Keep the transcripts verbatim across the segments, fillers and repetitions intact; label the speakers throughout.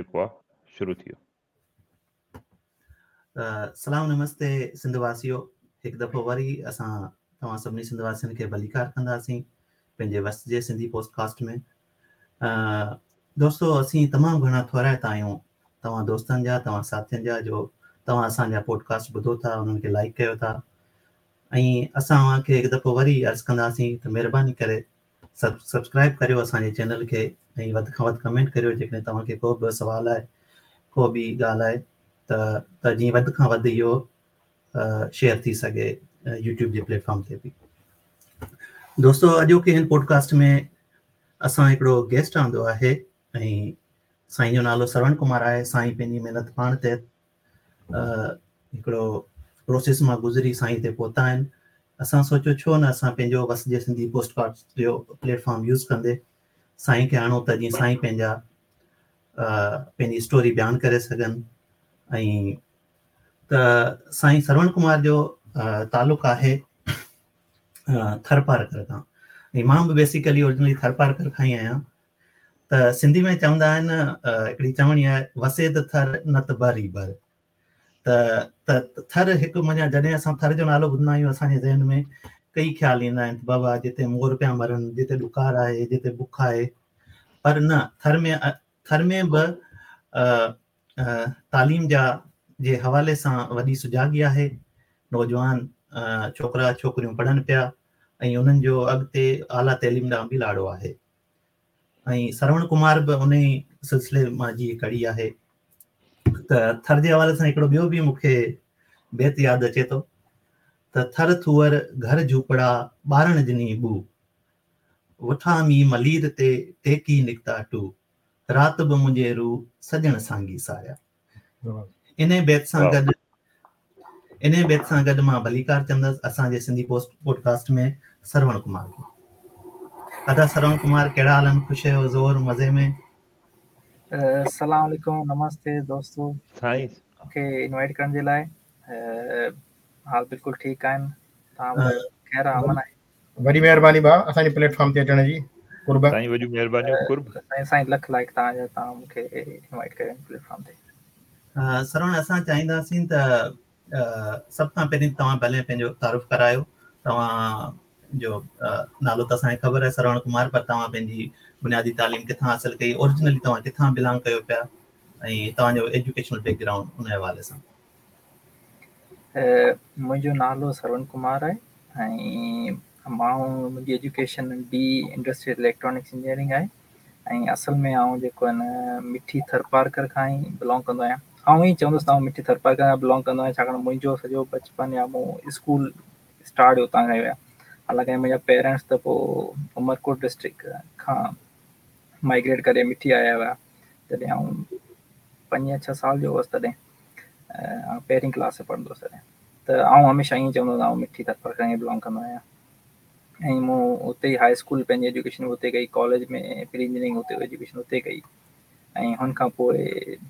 Speaker 1: جيڪو آهي شروع ٿي ويو.
Speaker 2: سلام نمستي سنڌ واسيو، هڪ دفعو وري اسان توهان سڀني سنڌ واسين کي ڀليڪار ڪنداسين پنهنجي وس جي سنڌي پوڊڪاسٽ ۾. دوستو، اسين تمام گهڻا ٿورائتا آهيون توهان دوستن جا، توهان ساٿين جا، جو توهان اسان جا پوڊڪاسٽ ٻڌو ٿا، انهن کي لائيڪ ڪيو ٿا. ۽ اسان اوهان کي هڪ دفعو وري عرض ڪنداسين ته مهرباني ڪري سب سبسڪرائب ڪريو اسان جي چينل کي ۽ وڌ کان وڌ ڪمينٽ ڪريو جيڪڏهن توهان کي ڪو به سوال آهي، ڪو به ڳالهه آهي ته ته جيئن وڌ کان وڌ اهو شيئر ٿي سگهي يوٽيوب جي پليٽ فارم تي به. دوستو، اڄوڪي هن پوڊڪاسٽ ۾ اسان هڪڙو گيسٽ آندو آهي ۽ سائين جو نالو سروڻ ڪمار آهي. سائين پنهنجي محنت پاڻ تحت هڪڙو پروسيس مان گذري سائين تي پهتا آهن. اسان سوچيو ڇو نه اسان پنهنجو وس جي سنڌي پوڊڪاسٽ جو پليٽ فارم يوز ڪندي سائين کي آڻو ته جيئن سائين پنهنجا پنهنجي اسٽوري بيان ڪري سگهن. ۽ ته سائين سروڻ ڪمار جو تعلق آهي ٿرپارڪر کان ۽ مان به بيسيڪلي اوريجنلي ٿرپارڪر کان ئي آهيان. ته سنڌي ۾ چوندا آهن، هڪڙي چوڻي آهي، وسي ته ٿر نه ته بر ئي بر. ته ته ٿر هڪ معنيٰ جڏهن اسان ٿر جو نالو ٻڌندا آهيون اسان جي ذهن ۾ ڪئي خيال ايندا آهن ته بابا جتي مور پيا مرن، جتي ڏڪار آهي، جتي بک آهي. پر نه، ٿر ۾ ٿر ۾ به تعليم جا جي حوالي سان وڏي سجاڳي آهي. نوجوان ڇوڪرا ڇوڪريون پڙهن پيا ۽ انهن جو اڳتي اعليٰ تعليم ڏانهن به لاڙو آهي. ۽ سروڻ ڪمار به ان ئي سلسلي مان جي ڪڙي آهي. ته ٿر جي حوالي سان هڪڙو ٻيو به مون کي بيت ياد اچي ٿو ته ٿر ٿوئر گهر جهوپڙا ٻارڻ جني ٻو، وٺا مي ملير تي ٽيڪي نڪتا ٽو، رات به منهنجي روح سڄڻ سانگي ساريا. ان بيت سان گڏ ان بيت سان گڏ مان ڀليڪار چوندس اسان جي سنڌي پوسٽ پوڊڪاسٽ ۾ سروڻ ڪمار کي. ادا سروڻ ڪمار، ڪهڙا حال آهن؟ خوش آهيو؟ زور مزي ۾؟
Speaker 3: السلام عليڪم، نمستي دوستو.
Speaker 1: سائين
Speaker 3: مون کي انوائيٽ ڪرڻ جي لاءِ. حال بلڪل ٺيڪ آهن، توهان ٻڌايو؟ خير امن آهي؟
Speaker 4: وڏي مهرباني ڀاءُ اسان جي پليٽ فارم تي اچڻ جي، قرب.
Speaker 1: سائين وڏيون مهربانيون، قرب.
Speaker 3: سائين سائين لک لائق توهان جا، توهان مون کي انوائيٽ ڪيو پليٽ فارم تي.
Speaker 2: سروڻ، اسان چاهينداسين ته سڀ کان پهرين توهان ڀلي پنهنجو تعارف ڪرايو. توهان جو نالو ته اسان کي خبر آهي سروڻ ڪمار، پر توهان پنهنجي بنيادي تعليم ڪٿان حاصل ڪئي، اوريجنلي توهان ڪٿان بلانگ ڪيو پيا ۽ توهان جو ايجوڪيشنل بيڪ گرائونڊ ان حوالي سان.
Speaker 3: منهنجو نالو سروڻ ڪمار آهي ۽ مان منهنجي ايجوڪيشن بي انڊسٽريل اليڪٽرانڪس انجنيئرنگ آهي ۽ اصل ۾ آئون جيڪو آهي نه مٺي ٿرپارڪر کان ئي بلانگ ڪندو آهيان. آئون ئي چوندس ته آئون مٺي ٿرپارڪر کان بلانگ ڪندو آهيان، ڇاڪاڻ منهنجو سڄو بچپن يا مون اسڪول اسٽارٽ اتان کان ئي هيا. حالانڪه منهنجا پيرنٽس ته پوءِ عمرڪوٽ ڊسٽرڪٽ کان مائگريٽ ڪري مٺي آيا هئا جڏهن آئون پنج يا ڇهه سال جو هئس، تڏهن پهرين ڪلاس ۾ پڙهندو هئس تڏهن. ته آئون هميشه ائين چوندو هئس آئون مٺي ٿرپارڪر کان ئي بلانگ ڪندو آهيان. ۽ مون اتي ئي هاءِ اسڪول پنهنجي ايجوڪيشن اتي ڪئي، ڪاليج ۾ پري انجنيئرنگ اتي ايجوڪيشن اتي ڪئي ۽ هن کان پوءِ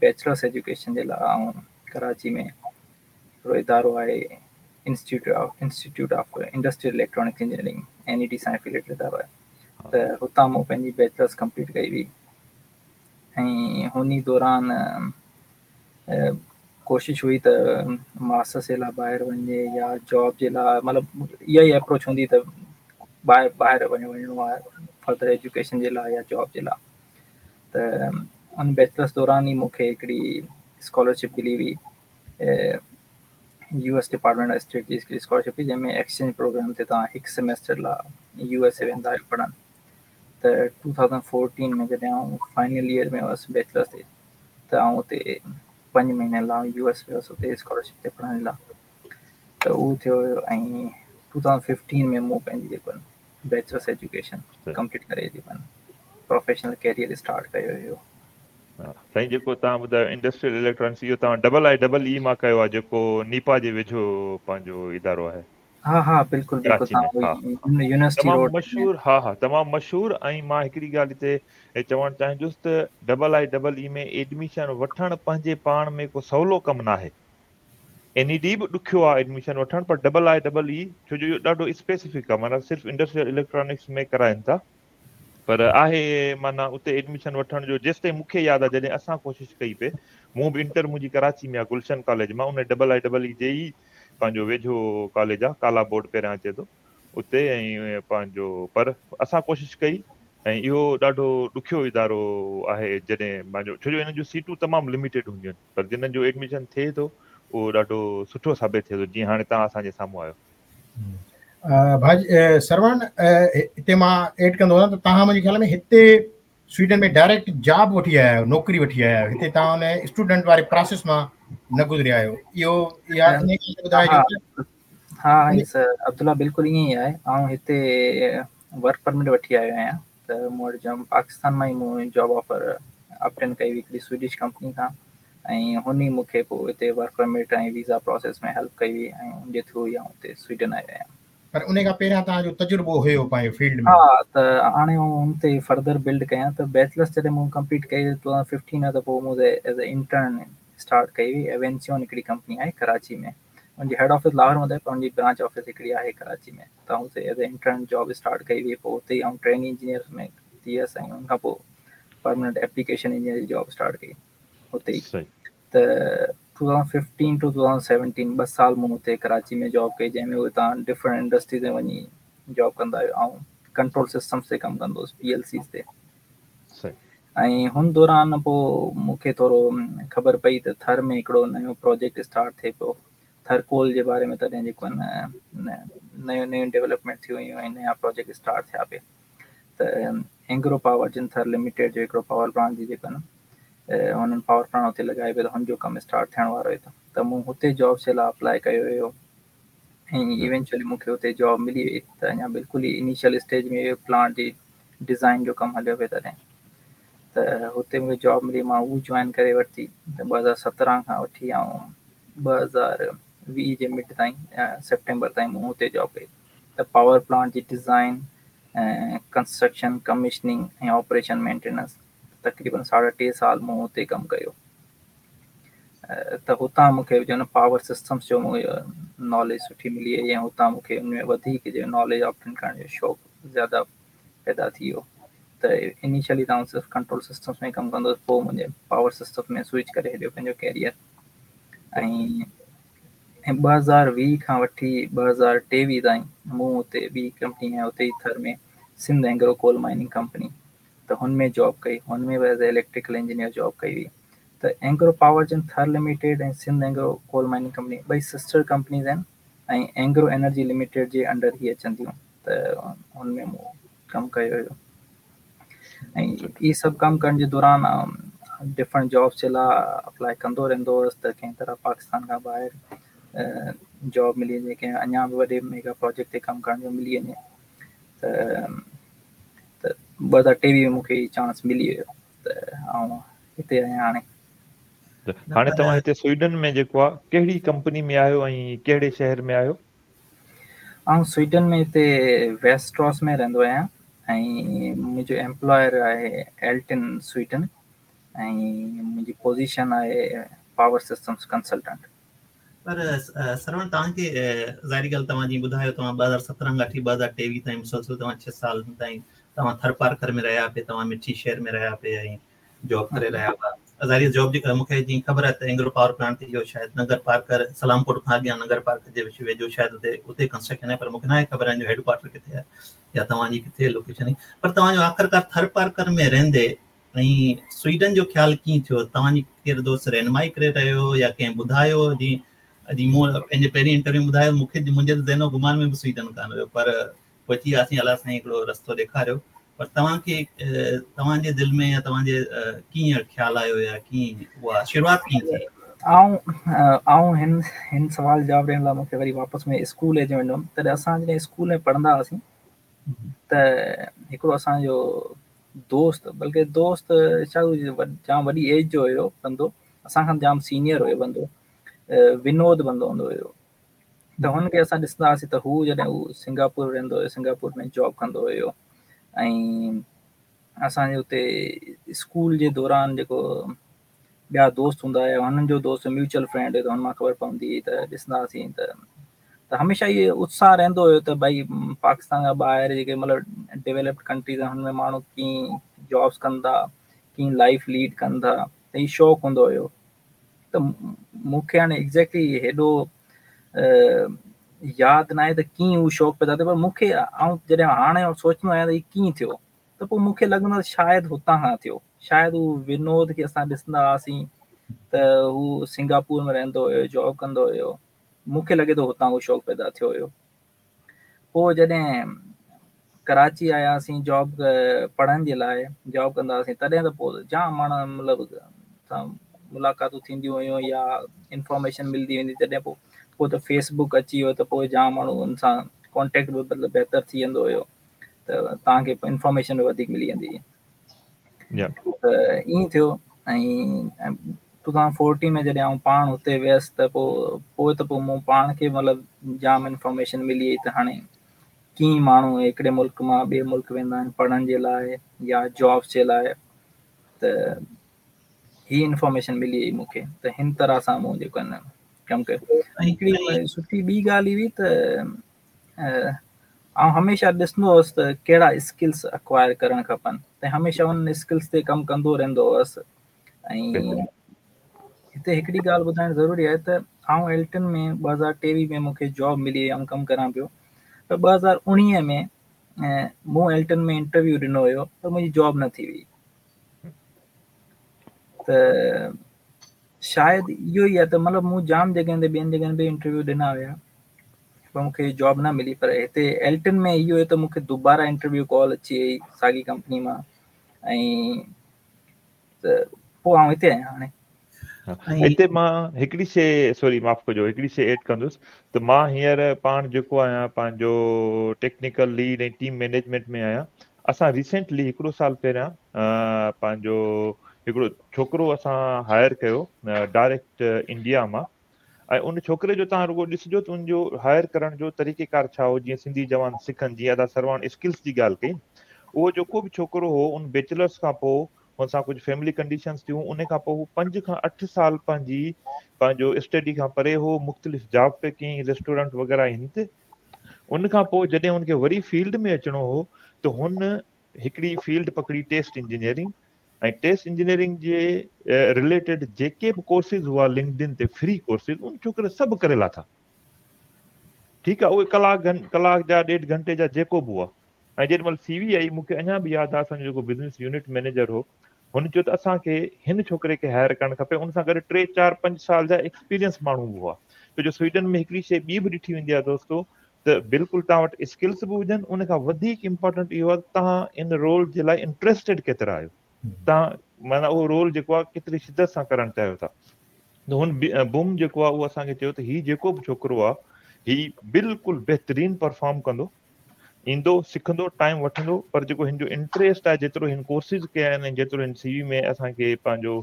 Speaker 3: بيچلرس ايجوڪيشن جي لاءِ آئون ڪراچي ۾ هڪڙو ادارو آهي institute of institute of industrial electronics engineering, N E D سان افيليٽيڊ ادارو آهي، ته هتان مون پنهنجي بيچلرس ڪمپليٽ ڪئي هئي. ۽ هن ئي دوران ڪوشش هئي ته ماسٽرس جي لاءِ ٻاهر وڃجي يا جاب جي لاءِ، مطلب اها ئي اپروچ هوندي ته ٻاهر ٻاهر وڃڻو آهي فردر ايجوڪيشن جي لاءِ يا جاب جي لاءِ. ته ان بيچلرس دوران ئي مون کي هڪڙي اسڪالرشپ ملي هئي، U S department of state جي هڪڙي اسڪالرشپ هئي، جنهن ۾ ايڪسچينج پروگرام تي توهان هڪ سيمسٽر لاءِ يو ايس اي ويندا آهيو پڙهڻ. ته ٽو ٿائوزنڊ فورٽين ۾ جڏهن آئون فائنل ايئر ۾ هئس بيچلرس تي، ته آئون اتي پنج مهيني لاءِ يو ايس ويس اتي اسڪالرشپ تي پڙهڻ لاءِ. ته اهو ٿيو هيو. ۽ ٽو ٿائوزنڊ ففٽين ۾ مون پنهنجي جيڪو بيچلرس ايجوڪيشن ڪمپليٽ ڪري جيڪو پروفيشنل ڪيريئر اسٽارٽ ڪيو هيو.
Speaker 1: سائين جيڪو توهان ٻڌايو انڊسٽريل اليڪٽرانڪس، اهو توهان ڊبل I double اي مان ڪيو آهي جيڪو نيپا جي ويجهو پنهنجو ادارو آهي؟
Speaker 3: ها ها بلڪل بلڪل، يونيورسٽي
Speaker 1: تمام مشهور. ها ها تمام مشهور. ۽ مان هڪڙي ڳالهه هتي چوڻ چاهيندس ته double I double A ۾ admission وٺڻ پنهنجي پاڻ ۾ ڪو سولو ڪم نه آهي. اين اي ڊي به ڏکيو آهي ايڊميشن وٺڻ، پر ڊبل I double اي ڇو جو اهو ڏاڍو اسپيسفڪ آهي، معنيٰ صرف انڊسٽريل اليڪٽرانڪس ۾ ڪرائين ٿا. پر آهي معنيٰ اتي ايڊميشن وٺڻ جو جيستائين مون کي ياد آهي جڏهن اسان ڪوشش ڪئي پئي مون به انٽر منهنجي ڪراچي ۾ آهي گلشن ڪاليج مان ان ڊبل I double اي جي ئي پنهنجو ويجهو ڪاليج آهي ڪالا بورڊ پهريان اچي ٿو اتي ۽ پنهنجو پر اسان ڪوشش ڪئي ۽ اهو ڏاڍو ڏکيو ادارو آهي جڏهن پنهنجو ڇو جو انهن جون سيٽون تمام لميٽيڊ هونديون آهن پر جنهن جو ايڊميشن ٿئي ٿو اهو ڏاڍو سٺو ثابت ٿئي ٿو جيئن هاڻي توهان اسان جي سامهون آهيو.
Speaker 4: ڀاء سروڻ هتي مان ايڊ ڪندو هلان ته توهان منهنجي خيال ۾ هتي سوئيڊن ۾ ڊائريڪٽ جاب وٺي آيا آهيو نوڪري وٺي آيا آهيو هتي توهان ان اسٽوڊنٽ واري پراسيس مان نه گذريا آهيو اهو اها ان ڳالهه تي ٻڌائجو ته
Speaker 3: ها ها سر عبدالله بلڪل ائين ئي آهي آئون هتي ورڪ پرمٽ وٺي آيو آهيان ته مون وٽ جام پاڪستان مان ئي مون جاب آفر آبٽين ڪئي هئي هڪڙي سوئيڊش ڪمپني کان ۽ هن ئي مون کي پوء هتي work permit ۽ visa process ۾ help ڪئي هئي ۽ ان جي ٿرو ئي آئون هتي سوئيڊن آيو آهيان.
Speaker 4: پر ان کان پهريان توهان جو تجربو هيو پنهنجي فيلڊ
Speaker 3: ۾؟ ها ته هاڻي ان تي فردر بلڊ ڪيان ته بيچلرس جڏهن مون ڪمپليٽ ڪئي ٽو ٿائوزنڊ ففٽين ته پوء مون ايز اي انٽرن اسٽارٽ ڪئي هئي ايوينسيون هڪڙي ڪمپني آهي ڪراچي ۾ ان جي هيڊ آفيس لاهور ۾ آهي پر ان جي برانچ آفيس هڪڙي آهي ڪراچي ۾ ته آئون اتي as a intern job start ڪئي هئي پوء اتي ئي آئون ٽريني انجنيئر ۾ ٿي ويس ۽ ان کان پوء پرماننٽ ايپليڪيشن انجنيئر جي جاب اسٽارٽ ڪئي اتي ئي ته two thousand fifteen to two thousand seventeen ٻه سال مون اتي ڪراچي ۾ جاب ڪئي جنهن ۾ اهي توهان ڊفرنٽ انڊسٽريز ۾ وڃي جاب ڪندا آهيو آئون ڪنٽرول سسٽمس تي ڪم ڪندو هوس پي ايل سيز تي ۽ هن دوران پوء مون کي ٿورو خبر پئي ته ٿر ۾ هڪڙو نيو پروجيڪٽ اسٽارٽ ٿئي پيو ٿر ڪول جي باري ۾ تڏهن جيڪو آهي نيون نيون ڊيولپمينٽ ٿيون هيون ۽ نيا پروجيڪٽ اسٽارٽ ٿيا پئي ته اينگرو پاور جن ٿر لميٽيڊ جو هڪڙو پاور پلانٽ جي جيڪو آهي هنن پاور پلانٽ هتي لڳائي پئي ته هن جو ڪم اسٽارٽ ٿيڻ وارو هو ته مون هتي جابس جي لاء اپلائي ڪيو هيو ۽ ايونچوئلي مون کي هتي جاب ملي وئي ته اڃا بلڪل ئي انيشل اسٽيج ۾ پلانٽ جي ڊزائن جو ڪم هليو پئي تڏهن ته هتي مون کي جاب ملي مان اهو جوائن ڪري ورتي ته ٻه هزار سترهن کان وٺي ۽ ٻه هزار ويهه جي مڊ تائين سيپٽمبر تائين مون هتي جاب ڪئي ته پاور پلانٽ جي ڊزائن ڪنسٽرڪشن ڪمشننگ ۽ آپريشن مينٽيننس تقريبن ساڍا ٽي سال مون هتي ڪم ڪيو ته هتان مون کي جو نه پاور سسٽمس جو ناليج سٺي ملي وئي ۽ هتان مون کي ان ۾ وڌيڪ جو ناليج آبٽين ڪرڻ جو شوق زياده پيدا ٿي ويو ته انيشلي ته آئون صرف ڪنٽرول سسٽمس ۾ ڪم ڪندو هوس پوء منهنجي پاور سسٽم ۾ سوئچ ڪري ڇڏيو پنهنجو ڪيريئر ۽ ۽ ٻه هزار ويهه کان وٺي ٻه هزار ٽيويهه تائين مون اتي ٻي ڪمپني آهي اتي ئي Thar ۾ Sindh Engro coal mining company ته هن ۾ جاب ڪئي هن ۾ به as a electrical engineer job ڪئي هئي ته اينگرو پاور جن Thar limited ۽ Sindh Engro coal mining company ٻئي سسٽر ڪمپنيز آهن ۽ اينگرو انرجي لميٽيڊ جي انڊر هي اچن ٿيون ته هن ۾ مون ڪم ڪيو هيو ۽ اهي سڀ ڪم ڪرڻ جي دوران ڊفرنٽ جابس جي لاء اپلائي ڪندو رهندو هوس ته ڪنهن طرح پاڪستان کان ٻاهر جاب ملي وڃي ڪنهن اڃا به وڏي ميگا پروجيڪٽ تي ڪم ڪرڻ جو ملي وڃي ته ته ٻه هزار ٽيويهه ۾ مون کي هي چانس ملي ويو ته آئون هتي آهيان هاڻي.
Speaker 1: هاڻي توهان هتي سوئيڊن ۾ جيڪو آهي ڪهڙي ڪمپني ۾ آهيو ۽ ڪهڙي شهر ۾ آهيو؟
Speaker 3: آئون سوئيڊن ۾ هتي ويسٽراس ۾ رهندو آهيان ۽ منهنجو ايمپلائر آهي ايلٽن سوئيڊن ۽ منهنجي پوزيشن آهي پاور سسٽمز ڪنسلٽنٽ.
Speaker 2: پر سروڻ توهان کي ظاهري ڳالهه توهان جيئن ٻڌايو توهان ٻه هزار سترهن کان وٺي ٻه هزار ٽيويهه تائين مسلسل توهان ڇهه سالن تائين توهان ٿر پارڪر ۾ رهيا پئي توهان مٺي شهر ۾ رهيا پئي ۽ جاب ڪري رهيا هئا ظاهري جاب جي مون کي جيئن خبر آهي ته اينگرو پاور پلانٽ اهو شايد ننگر پارڪر سلام ڪوٽ کان اڳيان ننگر پارڪر جي ويجهو شايد اتي اتي ڪنسٽرڪشن آهي پر مون کي ناهي خبر ان جو هيڊ ڪوارٽر ڪٿي آهي يا توهان جي ڪٿي لوڪيشن آهي پر توهان جو آخرڪار ٿر پارڪر ۾ رهندي ۽ سوئيڊن جو خيال ڪيئن ٿيو؟ توهان جي ڪير دوست رهنمائي ڪري رهيو هو يا ڪنهن ٻڌايو؟ جيئن جيئن مون پنهنجي پهرين انٽرويو ۾ ٻڌايو مون کي منهنجي ته ذهن و گمان ۾ به سوئيڊن ڪانه هيو پر پهچي وياسين الله سائين هڪڙو رستو ڏيکاريو پر توهان کي توهان جي دل ۾ يا توهان جي ڪيئن خيال آيو يا ڪيئن اها شروعات ڪيئن ٿي؟
Speaker 3: آئون آئون هن هن سوال جواب ڏيڻ لاء مون کي وري واپس ۾ اسڪول ايج ۾ وڃڻو تڏهن اسان جڏهن اسڪول ۾ پڙهندا هئاسين ته هڪڙو اسان جو دوست بلڪه دوست ڇا جام وڏي ايج جو هيو بندو اسان کان جام سينيئر هيو بندو ونود بندو هوندو هيو ته هن کي اسان ڏسندا هئاسين ته هو جڏهن هو سنگاپور رهندو هيو سنگاپور ۾ جاب ڪندو هيو ۽ اسان جي اتي اسڪول جي دوران جيڪو ٻيا دوست هوندا هيا هنن جو دوست ميوچل فرينڊ هيو ته هن مان خبر پوندي هئي ته ڏسندا هئاسين ته ته هميشه اهو اتساهه رهندو هيو ته ڀئي پاڪستان کان ٻاهر جيڪي مطلب ڊيولپڊ ڪنٽريز آهن هن ۾ ماڻهو ڪيئن جابس ڪن ٿا، ڪيئن لائف ليڊ ڪن ٿا، ته هي شوق هوندو هيو. ته مون کي هاڻي ايگزيڪٽلي هيڏو ياد نه آهي ته ڪيئن هو شوق پيدا ٿيو، پر مون کي آئون جڏهن هاڻي سوچندو آهيان ته هي ڪيئن ٿيو، ته پوء مون کي لڳندو آهي شايد هتان کان ٿيو، شايد هو ونود کي اسان ڏسندا هئاسين ته هو سنگاپور ۾ رهندو هيو، جاب ڪندو هيو، مون کي لڳي ٿو هتان اهو شوق پيدا ٿيو هيو. پوءِ جڏهن ڪراچي آياسين جاب پڙهڻ جي لاءِ، جاب ڪندا هئاسين، تڏهن ته پوءِ جام ماڻهو مطلب سان ملاقاتون ٿينديون هيون يا انفارميشن ملندي ويندي. تڏهن پوءِ پوءِ ته فيس بڪ اچي ويو ته پوءِ جام ماڻهو ان سان ڪانٽيڪٽ به مطلب بهتر ٿي ويندو هيو، ته توهان کي انفارميشن به وڌيڪ ملي ويندي. ته ائين ٿيو. ۽ ٽو ٿائوزنڊ فورٽين ۾ جڏهن آئون پاڻ هتي ويس ته پوءِ پوءِ ته پوءِ مون پاڻ کي مطلب جام انفارميشن ملي وئي ته هاڻي ڪيئن ماڻهو هڪڙي ملڪ مان ٻئي ملڪ ويندا آهن پڙهڻ جي لاءِ يا جابس جي لاءِ. ته هي انفارميشن ملي وئي مون کي، ته هن طرح سان مون جيڪو آهي نه ڪم ڪيو. ۽ هڪڙي سٺي ٻي ڳالهه هئي ته آئون هميشه ڏسندو هئس ته ڪهڙا اسڪلس اڪوائر ڪرڻ کپن، ته هميشه انهن اسڪلس تي ڪم ڪندو رهندو هئس. ۽ هتي هڪڙي ڳالهه ٻڌائڻ ضروري آهي ته آئون ايلٽن ۾ ٻه هزار ٽيويهه ۾ مون کي جاب ملي وئي، آئون ڪم ڪران پيو. پر ٻه هزار اڻويهه ۾ مون ايلٽن ۾ انٽرويو ڏنو هيو پر منهنجي جاب نه ٿي هئي. ته شايد اهو ئي آهي ته مطلب مون جام جڳهين تي ٻين جڳهين تي انٽرويو ڏنا هئا پر مون کي جاب نه ملي. پر هتي ايلٽن ۾ اهو هيو ته مون کي دوباره انٽرويو ڪال اچي وئي ساڳي ڪمپني مان، ۽ ته پوءِ آئون هتي آهيان هاڻي.
Speaker 1: هتي مان هڪڙي شيءِ، سوري معاف ڪجو، هڪڙي شيءِ ايڊ ڪندس ته مان هينئر پاڻ جيڪو آهيان پنهنجو ٽيڪنيڪل ليڊ ۽ ٽيم مئنيجمينٽ ۾ آهيان. اسان ريسينٽلي هڪڙو سال پهريان پنهنجو هڪڙو ڇوڪرو اسان هائر ڪيو ڊائريڪٽ انڊيا مان، ۽ ان ڇوڪري جو توهان رڳو ڏسجو ته ان جو هائر ڪرڻ جو طريقيڪار ڇا هو. جيئن سنڌي جوان سکن، جيئن ادا سرواڻ اسڪلس جي ڳالهه ڪئي، اهو جيڪو به ڇوڪرو هو ان بيچلرس کان پوءِ هن سان ڪجهه فيملي ڪنڊيشنس ٿيون، ان کان پوءِ هو پنج کان اٺ سال پنهنجي پنهنجو اسٽڊي کان پري هو، مختلف جاب پي ڪيائين، ريسٽورنٽ وغيره هن تي. ان کان پوءِ جڏهن هن کي وري فيلڊ ۾ اچڻو هو ته هن هڪڙي فيلڊ پڪڙي ٽيسٽ انجنيئرنگ، ۽ ٽيسٽ انجنيئرنگ جي رليٽيڊ جيڪي به ڪورسز هئا لنڪڊ ان تي فري ڪورسز، ان ڇوڪري سڀ ڪري لاٿا. ٺيڪ آهي، اهي ڪلاڪ ڪلاڪ جا ڏيڍ گهنٽي جا جيڪو به هئا. ۽ جيڏي مهل سي وي آئي، مون کي اڃا به ياد آهي اسان جو جيڪو بزنس يونٽ مئنيجر هو، هن چيو ته اسان کي هن ڇوڪري کي هائر ڪرڻ کپي. ان سان گڏ ٽي چار پنج سال جا ايڪسپيرينس ماڻهو به هئا. ڇو جو سوئيڊن ۾ هڪڙي شيءِ ٻي به ڏٺي ويندي آهي دوستو، ته بلڪل توهان وٽ اسڪلس به هجن، ان کان وڌيڪ امپارٽنٽ اهو آهي ته توهان ان رول جي لاءِ انٽريسٽيڊ ڪيترا آهيو، توهان معنيٰ اهو رول جيڪو آهي ڪيتري شدت سان ڪرڻ چاهيو ٿا. ته هن بوم جيڪو آهي اهو اسان کي چيو ته هي جيڪو به ڇوڪرو آهي هي بلڪل بهترين پرفارم ڪندو، ايندو، سکندو، ٽائيم وٺندو، پر جيڪو هن جو انٽريسٽ آهي، جيترو هن ڪورسز ڪيا آهن ۽ جيترو هن سي وي ۾ اسان کي پنهنجو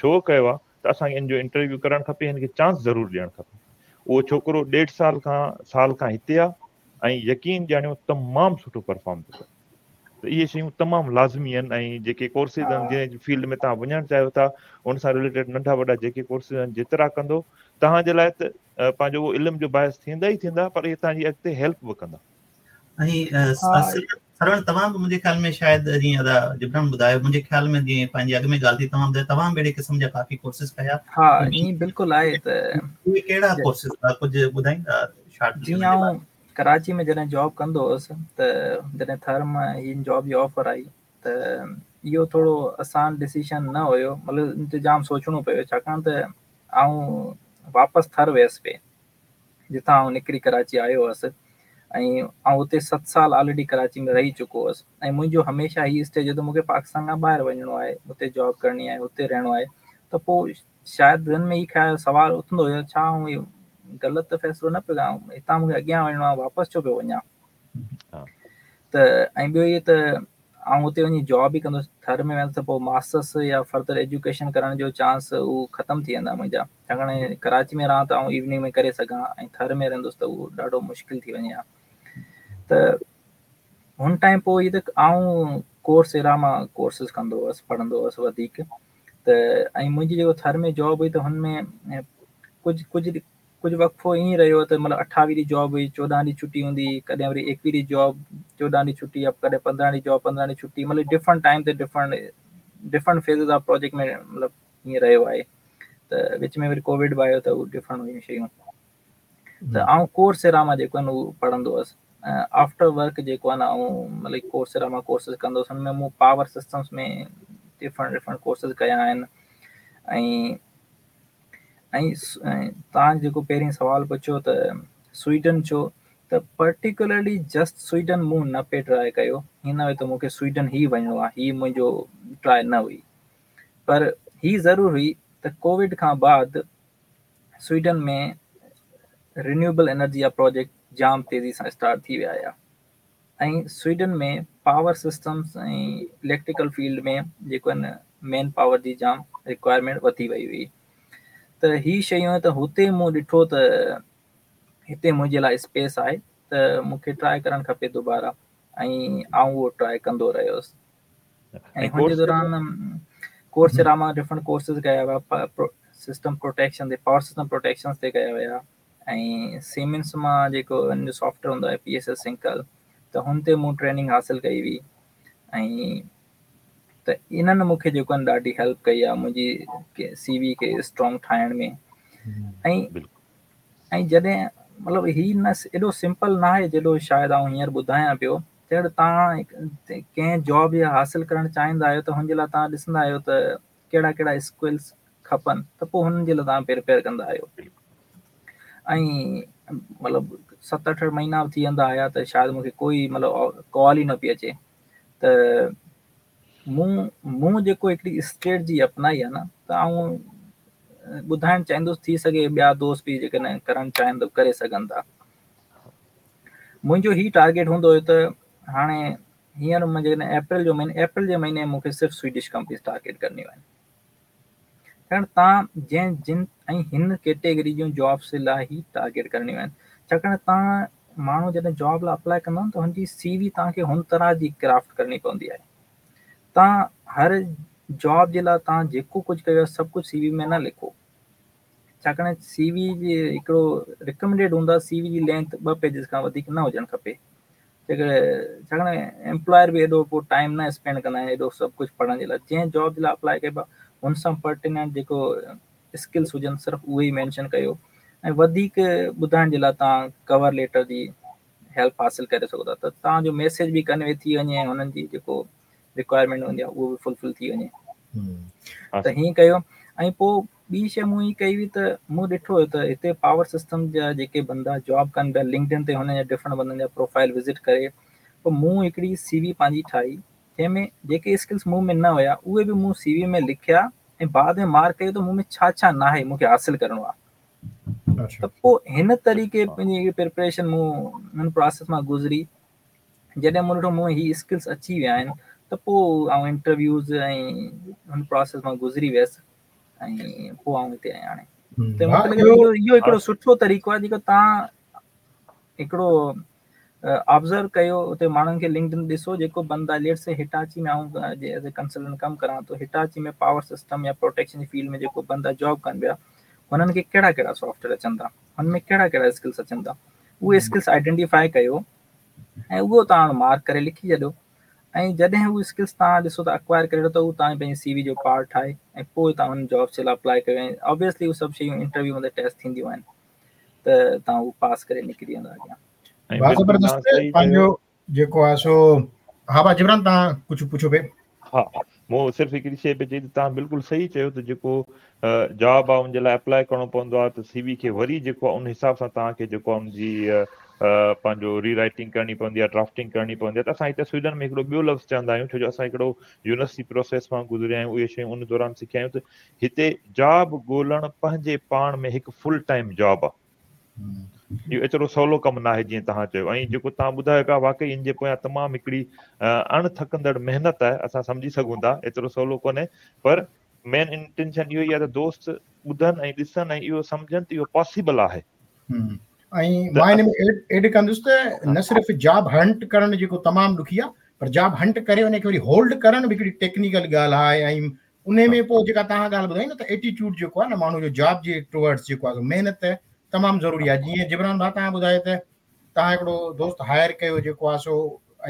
Speaker 1: شو ڪيو آهي، ته اسان کي هن جو انٽرويو ڪرڻ کپي، هن کي چانس ضرور ڏيڻ کپي. اهو ڇوڪرو ڏيڍ سال کان سال کان هتي آهي ۽ يقين ڄاڻيو تمام سٺو پرفارم ٿو ڪري. ته اهي شيون تمام لازمي آهن ۽ جيڪي ڪورسز آهن، جنهن فيلڊ ۾ توهان وڃڻ چاهيو ٿا ان سان رليٽيڊ ننڍا وڏا جيڪي ڪورسز آهن جيترا ڪندو توهان جي لاءِ ته پنهنجو اهو علم جو باعث ٿيندا ئي ٿيندا، پر اهي توهان جي اڳتي هيلپ به ڪندا.
Speaker 2: ۽ سرڻ توهان به منهنجي خيال ۾ شايد جيئن ادا جبران ٻڌايو، منهنجي خيال ۾ جيئن پنهنجي اڳ ۾ ڳالهه ٿي، توهان ٻڌايو توهان به اهڙي قسم جا ڪافي ڪورسز ڪيا.
Speaker 3: ها ائين بلڪل آهي. ته
Speaker 2: اهي ڪهڙا ڪورسز هئا، ڪجهه ٻڌائيندا شارٽ؟
Speaker 3: جيئن آئون ڪراچي ۾ جڏهن جاب ڪندو هئس ته جڏهن ٿر مان هن جاب جي آفر آئي ته اهو ٿورو آسان ڊسيشن نه هيو، مطلب ان تي جام سوچڻو پيو، ڇاڪاڻ ته آئون واپس ٿر ويس پئي جتان آئون نڪري ڪراچي آيو هئس، ۽ آئون اتي ست سال آلريڊي ڪراچي ۾ رهي چڪو هئس. ۽ منهنجو هميشه هي اسٽيج هو ته مون کي پاڪستان کان ٻاهر وڃڻو آهي، اتي جاب ڪرڻي آهي، اتي رهڻو آهي. ته پوءِ شايد ذهن ۾ هي خيال سوال اٿندو هيو، ڇا آئون اهو غلط فيصلو نه پيو ڪيان، هتان مون کي اڳيان وڃڻو آهي، واپس ڇو پيو وڃان؟ ته ۽ ٻيو اهو ته آئون اتي وڃي جاب ئي ڪندس، ٿر ۾ ويندس ته پوءِ ماسٽرس يا فردر ايجوڪيشن ڪرڻ جو چانس اهو ختم ٿي ويندا منهنجا، ڇاڪاڻ ڪراچي ۾ رهان ته آئون ايوننگ ۾ ڪري سگهان ۽ ٿر ۾ رهندس ته اهو ڏاڍو مشڪل ٿي وڃي ها. ته هن ٽائيم پوءِ هيءَ ته آئون ڪورس ايرا مان ڪورسز ڪندو هئس، پڙهندو هئس وڌيڪ. ته ۽ منهنجي جيڪو ٿر ۾ جاب هئي ته هن ۾ ڪجهه ڪجهه ڪجهه وقفو ائين رهيو ته مطلب اٺاويهه ڏينهن جاب هئي، چوڏهن ڏينهن ڇٽي هوندي، ڪڏهن وري ايڪويهه ڏينهن جاب چوڏهن ڏينهن ڇٽي، ڪڏهن پندرهن ڏينهن جاب پندرهن ڏينهن ڇٽي، مطلب ڊفرنٽ ٽائيم تي different different phases of project ۾ مطلب ائين رهيو آهي. ته وچ ۾ وري ڪووڊ به آيو ته اهو ڊفرنٽ هيون شيون. ته آئون ڪورسيرا مان جيڪو آهي نه اهو پڙهندو هئس. آفٽر ورڪ جيڪو آهي نه آئون مطلب ڪورسيرا مان ڪورسز ڪندو هئس. هن ۾ مون power systems ۾ different different courses ڪيا آهن. ۽ ۽ توهان جيڪو پهرين سوال پڇيو ته سوئيڊن ڇو، ته پرٽيڪولرلي جسٽ سوئيڊن مون نه پئي ٽرائي ڪيو. هيئن نه هيو ته مون کي سوئيڊن ئي وڃڻو آهي، هي منهنجو ٽرائي نه هئي. پر هي ضرور هئي ته ڪووڊ کان بعد سوئيڊن ۾ رينيوبل انرجي جا پروجيڪٽ جام تيزي سان اسٽارٽ ٿي ويا هيا ۽ Sweden ۾ power systems ۽ electrical field ۾ جيڪو آهي نه مين پاور جي جام رڪوائرمينٽ وڌي وئي هئي. ته هي شيون ته هتي مون ڏٺو ته هتي منهنجي لاءِ اسپيس آهي ته مون کي ٽرائي ڪرڻ کپي دوباره، ۽ آئون اهو ٽرائي ڪندو رهيس. ۽ هن جي دوران ڪورسيرا مان ڊفرنٽ ڪورسز ڪيا ويا، سسٽم پروٽيڪشن تي، پاور سسٽم پروٽيڪشن تي ڪيا ويا، ۽ سيمنس مان جيڪو هن جو سافٽ ويئر هوندو آهي پي ايس ايس سنڪل، ته هن تي مون ٽريننگ حاصل ڪئي هئي. ۽ ته انهن مون کي جيڪو آهي ڏاڍي هيلپ ڪئي آهي منهنجي سي وي کي اسٽرانگ ٺاهڻ ۾. ۽ ۽ جڏهن مطلب هي نه ايڏو سمپل نه آهي جيڏو شايد آئون هينئر ٻڌايان پيو. جڏهن توهان ڪنهن جاب جي حاصل ڪرڻ چاهيندا آهيو ته هن جي لاءِ توهان ڏسندا آهيو ته ڪهڙا ڪهڙا اسڪلس کپن، ته پوءِ هنن جي لاءِ توهان پريپيئر ڪندا آهيو. ۽ مطلب ست اٺ مهينا به ٿي ويندا هئا ته شايد مون کي ڪوئي مطلب ڪال ئي نه پئي اچي. ته مون مون جيڪو هڪڙي اسٽريٽجي اپنائي آهي نه، ته آئون ٻڌائڻ چاهيندس، ٿي سگهي ٻيا دوست به جيڪڏهن ڪرڻ چاهين ته ڪري سگهن ٿا. منهنجو هي ٽارگيٽ هوندو هيو ته هاڻي هينئر مان جيڪڏهن اپريل جو مهينو، اپريل جي مهيني مون کي صرف سوئيڊش ڪمپنيز ٽارگيٽ ڪرڻيون آهن. ڇاڪاڻ توهان جنهن جن ۽ هن ڪيٽيگري جون جابس لاءِ ئي ٽارگيٽ ڪرڻيون آهن. ڇاڪاڻ توهان ماڻهو جڏهن جاب لاءِ اپلائي ڪندا آهن ته هن جي سي وي توهان کي هن طرح جي ڪرافٽ ڪرڻي پوندي آهي. توهان هر جاب جي لاءِ توهان جيڪو ڪجهه ڪيو آهي سڀ ڪجهه سي وي ۾ نه لکو. ڇاڪاڻ سي وي جي هڪڙو رڪمينڊيڊ هوندو آهي سي وي جي لينٿ ٻه پيجز کان وڌيڪ نه هجڻ کپي. ڇاڪاڻ ايمپلائر به ايڏو پوءِ ٽائيم نه اسپينڊ ڪندا آهن ايڏو سڀ ڪجهه پڙهڻ جي لاءِ. جنهن جاب جي لاءِ اپلائي ڪبو آهي هن سان پرٽيننٽ جيڪو اسڪلس هجن صرف اهي ئي مينشن ڪيو. ۽ وڌيڪ ٻڌائڻ جي لاءِ توهان ڪور ليٽر جي هيلپ حاصل ڪري سگهو ٿا ته توهان جو ميسيج به ڪنوي ٿي وڃي ۽ هنن جي جيڪو رڪوائرمينٽ هوندي آهي اهو به فلفل ٿي وڃي. ته هيئن ڪيو. ۽ پوءِ ٻي شيءِ مون هيءَ ڪئي هئي ته مون ڏٺو هيو ته هتي پاور سسٽم جا جيڪي بندا جاب ڪن پيا لنڪڊ ان تي هن جا ڊفرنٽ بندن جا پروفائل وزٽ ڪري پوءِ مون هڪڙي سي وي پنهنجي ٺاهي جنهن ۾ جيڪي اسڪلس مون ۾ نه هئا اهي به مون سي وي ۾ لکيا ۽ بعد ۾ مارڪ ڪيو ته مون ۾ ڇا ڇا نه آهي مون کي حاصل ڪرڻو آهي. ته پوءِ هن طريقي پنهنجي پريپريشن مون هن پروسيس مان گذري. جڏهن مون ڏٺو مون ۾ هي اسڪلس اچي ويا آهن ته پوءِ آئون انٽرويوز ۽ هن پروسيس مان گذري ويس ۽ پوءِ آئون هتي آهيان هاڻي. ته مون کي لڳي ٿو اهو اهو هڪڙو سٺو طريقو آهي جيڪو توهان هڪڙو آبزرو ڪيو اتي ماڻهن کي لنڪڊ ان ڏسو جيڪو بندا ليٽ سي هٽاچي ۾ آئون ايز اي ڪنسلٽنٽ ڪم ڪران ٿو، هٽاچي ۾ پاور سسٽم يا پروٽيڪشن جي فيلڊ ۾ جيڪو بندا جاب ڪن پيا هنن کي ڪهڙا ڪهڙا سافٽ ويئر اچن ٿا، هن ۾ ڪهڙا ڪهڙا اسڪلس اچن ٿا، اهي اسڪلس آئيڊينٽيفائي ڪيو ۽ اهو توهان مارڪ ڪري لکي ڇڏيو. ۽ جڏهن اهي اسڪلس توهان ڏسو ته اڪوائر ڪري ته اهو توهان پنهنجي سي وي جو پارٽ ٺاهي ۽ پوءِ توهان هن جابس جي لاءِ اپلائي ڪيو. ۽ آبويسلي اهي سڀ شيون انٽرويو ۾ ٽيسٽ ٿينديون آهن ته توهان اهو پاس ڪري نڪري ويندا اڳيان.
Speaker 4: زبردست پنهنجو جيڪو آهي سو ها ڀاءُ جبران توهان ڪجهه پڇو پئي.
Speaker 1: ها مون صرف هڪڙي شيءِ پئي چئي ته توهان بلڪل صحيح چيو ته جيڪو جاب آهي ان جي لاءِ اپلائي ڪرڻو پوندو آهي ته سي وي کي وري جيڪو آهي ان حساب سان توهان کي جيڪو آهي ان جي پنهنجو ري رائٽنگ ڪرڻي پوندي آهي، ڊرافٽنگ ڪرڻي پوندي آهي. ته اسان هتي سوئيڊن ۾ هڪڙو ٻيو لفظ چوندا آهيون، ڇو جو اسان هڪڙو يونيورسٽي پروسيس مان گذريا آهيون، اهي شيون ان دوران سکيا آهيون ته هتي جاب ڳولهڻ پنهنجي پاڻ ۾ هڪ فل ٽائيم جاب آهي. اهو ايترو سولو ڪم نه آهي جيئن توهان چيو. ۽ جيڪو توهان ٻڌايو پيا واقعي ان جي پويان تمام هڪڙي اڻ ٿڪندڙ محنت آهي، اسان سمجهي سگهون ٿا ايترو سولو ڪونهي، پر مين انٽينشن اهو ئي آهي ته دوست ٻڌن ۽ ڏسن ۽ اهو سمجهن ته اهو پاسيبل آهي.
Speaker 4: ۽ مان هن ۾ ايڊ ڪندس ته نه صرف جاب هنٽ ڪرڻ جيڪو تمام ڏکي آهي، پر جاب هنٽ ڪري ان کي وري هولڊ ڪرڻ به هڪڙي ٽيڪنيڪل ڳالهه آهي. ۽ ان ۾ پوءِ جيڪا توهان ڳالهه ٻڌائي نه ته ايٽيٽيوڊ جيڪو آهي نه ماڻهو جو جاب جي ٽوورڊس جيڪو آهي محنت تمام ضروري آهي. جيئن جبران ڀاء توهان ٻڌايو ته توهان هڪڙو دوست هائر ڪيو جيڪو آهي سو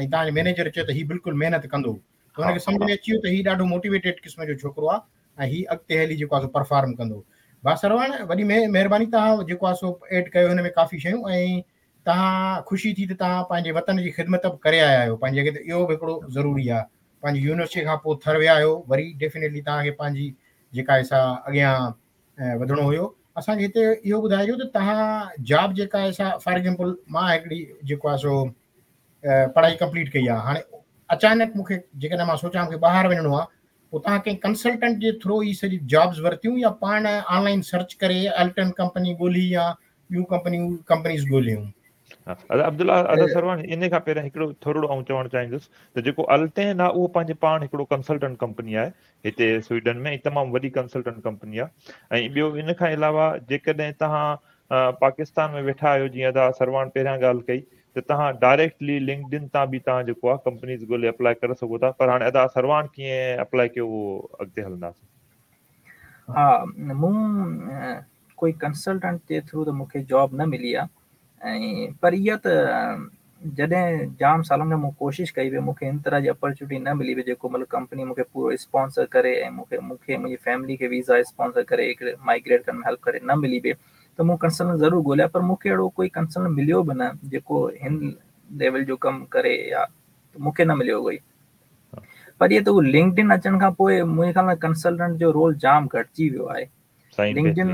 Speaker 4: ۽ توهان جي مئنيجر چيو ته هي بلڪل محنت ڪندو ته هن کي سمجهه ۾ اچي ويو ته هي ڏاڍو موٽيويٽيڊ قسم جو ڇوڪرو آهي ۽ هي اڳتي هلي جيڪو آهي سو پرفارم ڪندو. ڀاء سروڻ وڏي مهرباني توهان جيڪو آهي سو ايڊ ڪيو هن ۾ ڪافي شيون ۽ توهان خوشي ٿي ته توهان پنهنجي وطن جي خدمت به ڪري آيا آهيو پنهنجي جڳهه تي، اهو به هڪڙو ضروري آهي. پنهنجي يونيورسٽي کان پوءِ ٿر ويا آهيو وري ڊيفينيٽلي توهان کي پنهنجي جيڪا آهي سا اڳيان وڌڻو هيو. اسان کي هتي اهو ٻڌائجو ته توهان جاب جيڪا آهي سا فار ايگزامپل مان هڪڙي جيڪو آهي سو پڙهائي ڪمپليٽ ڪئي آهي، هاڻي اچانڪ مون کي جيڪڏهن مان سوچان مون کي ٻاهر وڃڻو آهي پوءِ توهان ڪنهن ڪنسلٽنٽ جي ٿرو ئي سڄي جابس ورتيون يا پاڻ آنلائن سرچ ڪري الٽن ڪمپني ڳولهي يا ٻيون ڪمپنيون ڪمپنيز ڳولهيون؟
Speaker 1: ادا عبدالله ادا سروڻ ان کان پهريان هڪڙو ٿورڙو آئون چوڻ چاهيندس ته جيڪو الٽين آهي اهو پنهنجي پاڻ هڪڙو ڪنسلٽنٽ ڪمپني آهي هتي سوئيڊن ۾ تمام وڏي ڪنسلٽنٽ ڪمپني آهي. ۽ ٻيو ان کان علاوه جيڪڏهن توهان پاڪستان ۾ ويٺا آهيو جيئن ادا سروڻ پهريان ڳالهه ڪئي ته توهان ڊائريڪٽلي لنڪڊ ان تان به توهان جيڪو آهي ڪمپنيز ڳولهي اپلائي ڪري سگهو ٿا. پر هاڻي ادا سروڻ ڪيئن اپلائي ڪيو اهو اڳتي هلنداسين.
Speaker 3: ها مون ڪوئي ڪنسلٽنٽ جي ٿرو ته مون کي جاب نه ملي آهي ۽ پر اها ته جڏهن جام سالن کان مون ڪوشش ڪئي پئي مون کي هن طرح جي اپرچونٽي نه ملي پئي جيڪو مطلب ڪمپني مون کي پورو اسپانسر ڪري ۽ مون کي مون کي منهنجي فيملي کي ويزا اسپانسر ڪري هڪڙي مائگريٽ ڪرڻ ۾ هيلپ ڪري نه ملي پئي ته مون ڪنسلٽنٽ ضرور ڳولهيا پر مون کي اهڙو ڪوئي ڪنسلٽنٽ مليو به نه جيڪو هن ليول جو ڪم ڪري يا مون کي نه مليو ڪوئي. پر اهو ته اهو لنڪڊ ان اچڻ کان پوءِ منهنجي خيال ۾ ڪنسلٽنٽ جو رول جام گهٽجي ويو آهي. لنڪڊ ان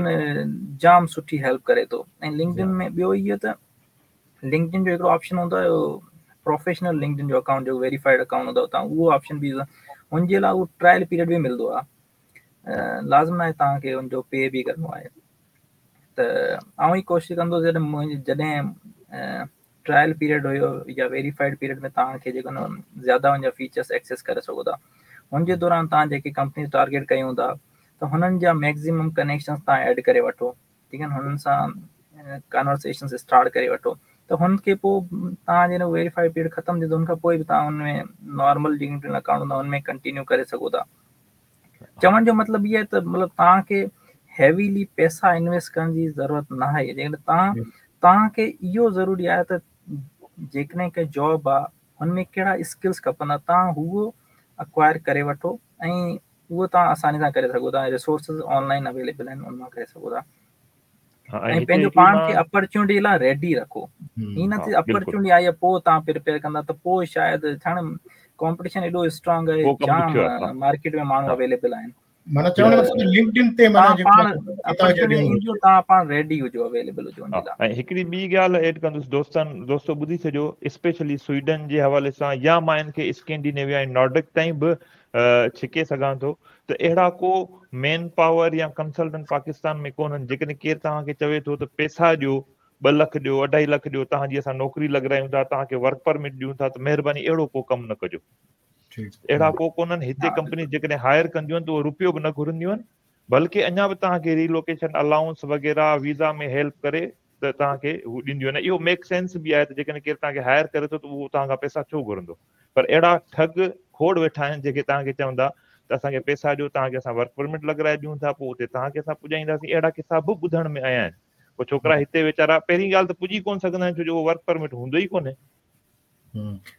Speaker 3: جام سٺي هيلپ ڪري ٿو ۽ لنڪڊ ان ۾ ٻيو اهو ته لنڪڊ ان جو هڪڙو آپشن هوندو آهي پروفيشنل لنڪڊ ان جو اڪائونٽ جو ويريفائڊ اڪائونٽ هوندو آهي توهان اهو آپشن به هن جي لاءِ اهو ٽرائل پيريڊ به ملندو آهي، لازم نه آهي توهان کي هن جو پي به ڪرڻو آهي. ته آئون ئي ڪوشش ڪندو جڏهن منهنجي جڏهن ٽرائل پيريڊ هيو يا ويريفائڊ پيريڊ ۾ توهان کي جيڪو نه زياده هن جا فيچرس ايڪسيس ڪري سگهو ٿا. هن جي دوران توهان جيڪي ڪمپني ٽارگيٽ ڪيون ٿا ته هنن جا ميڪسيمم ڪنيڪشنس توهان ايڊ ڪري وٺو، ٺيڪ آهي نه، هنن سان ڪانورسيشنس اسٽارٽ ڪري وٺو ته هن کي پوءِ توهان جڏهن ويريفائڊ پيريڊ ختم ٿيندو هن کان پوءِ به توهان هن ۾ نارمل جيڪي اڪائونٽ هوندا هن ۾ ڪنٽينيو ڪري سگهو ٿا. چوڻ جو مطلب اهو آهي ته مطلب توهان کي هيويلي پئسا انويسٽ ڪرڻ جي ضرورت نه آهي. جيڪڏهن توهان توهان کي اهو ضروري آهي ته جيڪڏهن ڪنهن جاب آهي هن ۾ ڪهڙا اسڪلس کپندا توهان اهو اڪوائر ڪري وٺو ۽ اهو توهان آساني سان ڪري سگهو ٿا. ريسورسز آنلائن اويليبل آهن ان مان ڪري سگهو ٿا ۽ پنهنجو پاڻ کي اپرچونٽي لاءِ ريڊي رکو. هيئن نه ٿئي اپرچونٽي آئي آهي پوءِ توهان پريپيئر ڪندا ته پوءِ شايد ڇا نه ڪامپيٽيشن ايڏو اسٽرانگ آهي جام مارڪيٽ ۾ ماڻهو اويليبل آهن.
Speaker 4: معنيٰ چوڻ جو مقصد لنڪڊ ان تي معنيٰ جيڪو
Speaker 3: ايندو توهان پاڻ ريڊي هجو اويليبل هجو ان جي لاءِ.
Speaker 1: ۽ هڪڙي ٻي ڳالهه ايڊ ڪندس دوستن دوستو ٻڌي ڇڏيو اسپيشلي سوئيڊن جي حوالي سان يا مان هن کي اسڪينڊينيويا ۽ نارڊڪ تائين به ڇڪي سگهان ٿو ته اهڙا ڪو مين پاور يا ڪنسلٽنٽ پاڪستان ۾ ڪونهن. جيڪڏهن ڪير توهان کي چوي ٿو ته پئسا ڏيو ٻه لک ڏيو اڍائي لک ڏيو توهان جي اسان نوڪري لڳارايون ٿا توهان کي ورڪ پرمٽ ڏيون ٿا ته مهرباني اهڙو ڪو ڪم نه ڪجو. اهڙا ڪو ڪونهن. هتي ڪمپني جيڪڏهن هائر ڪنديون آهن ته اهو رپيو به نه گهرنديون آهن بلڪه اڃا به توهان کي ريلوڪيشن الائونس وغيره ويزا ۾ هيلپ ڪري ته توهان کي هو ڏينديون آهن. اهو ميڪ سينس به آهي ته جيڪڏهن ڪير توهان کي هائر ڪري ٿو ته اهو توهان کان پئسا ڇو گهرندو. پر اهڙا ٺڳ کوڙ ويٺا آهن جيڪي توهان کي چوندا ته اسان کي پئسا ڏيو توهان کي اسان ورڪ پرمٽ لڳارائي ڏيون ٿا پوءِ اتي توهان کي اسان پڄائينداسين. اهڙا قصا به ٻڌڻ ۾ آيا آهن. پوءِ ڇوڪرا هتي ويچارا پهرين ڳالهه ته پڄي ڪونه سگهندا آهن ڇو جو اهو ورڪ پرمٽ هوندو ئي ڪونهي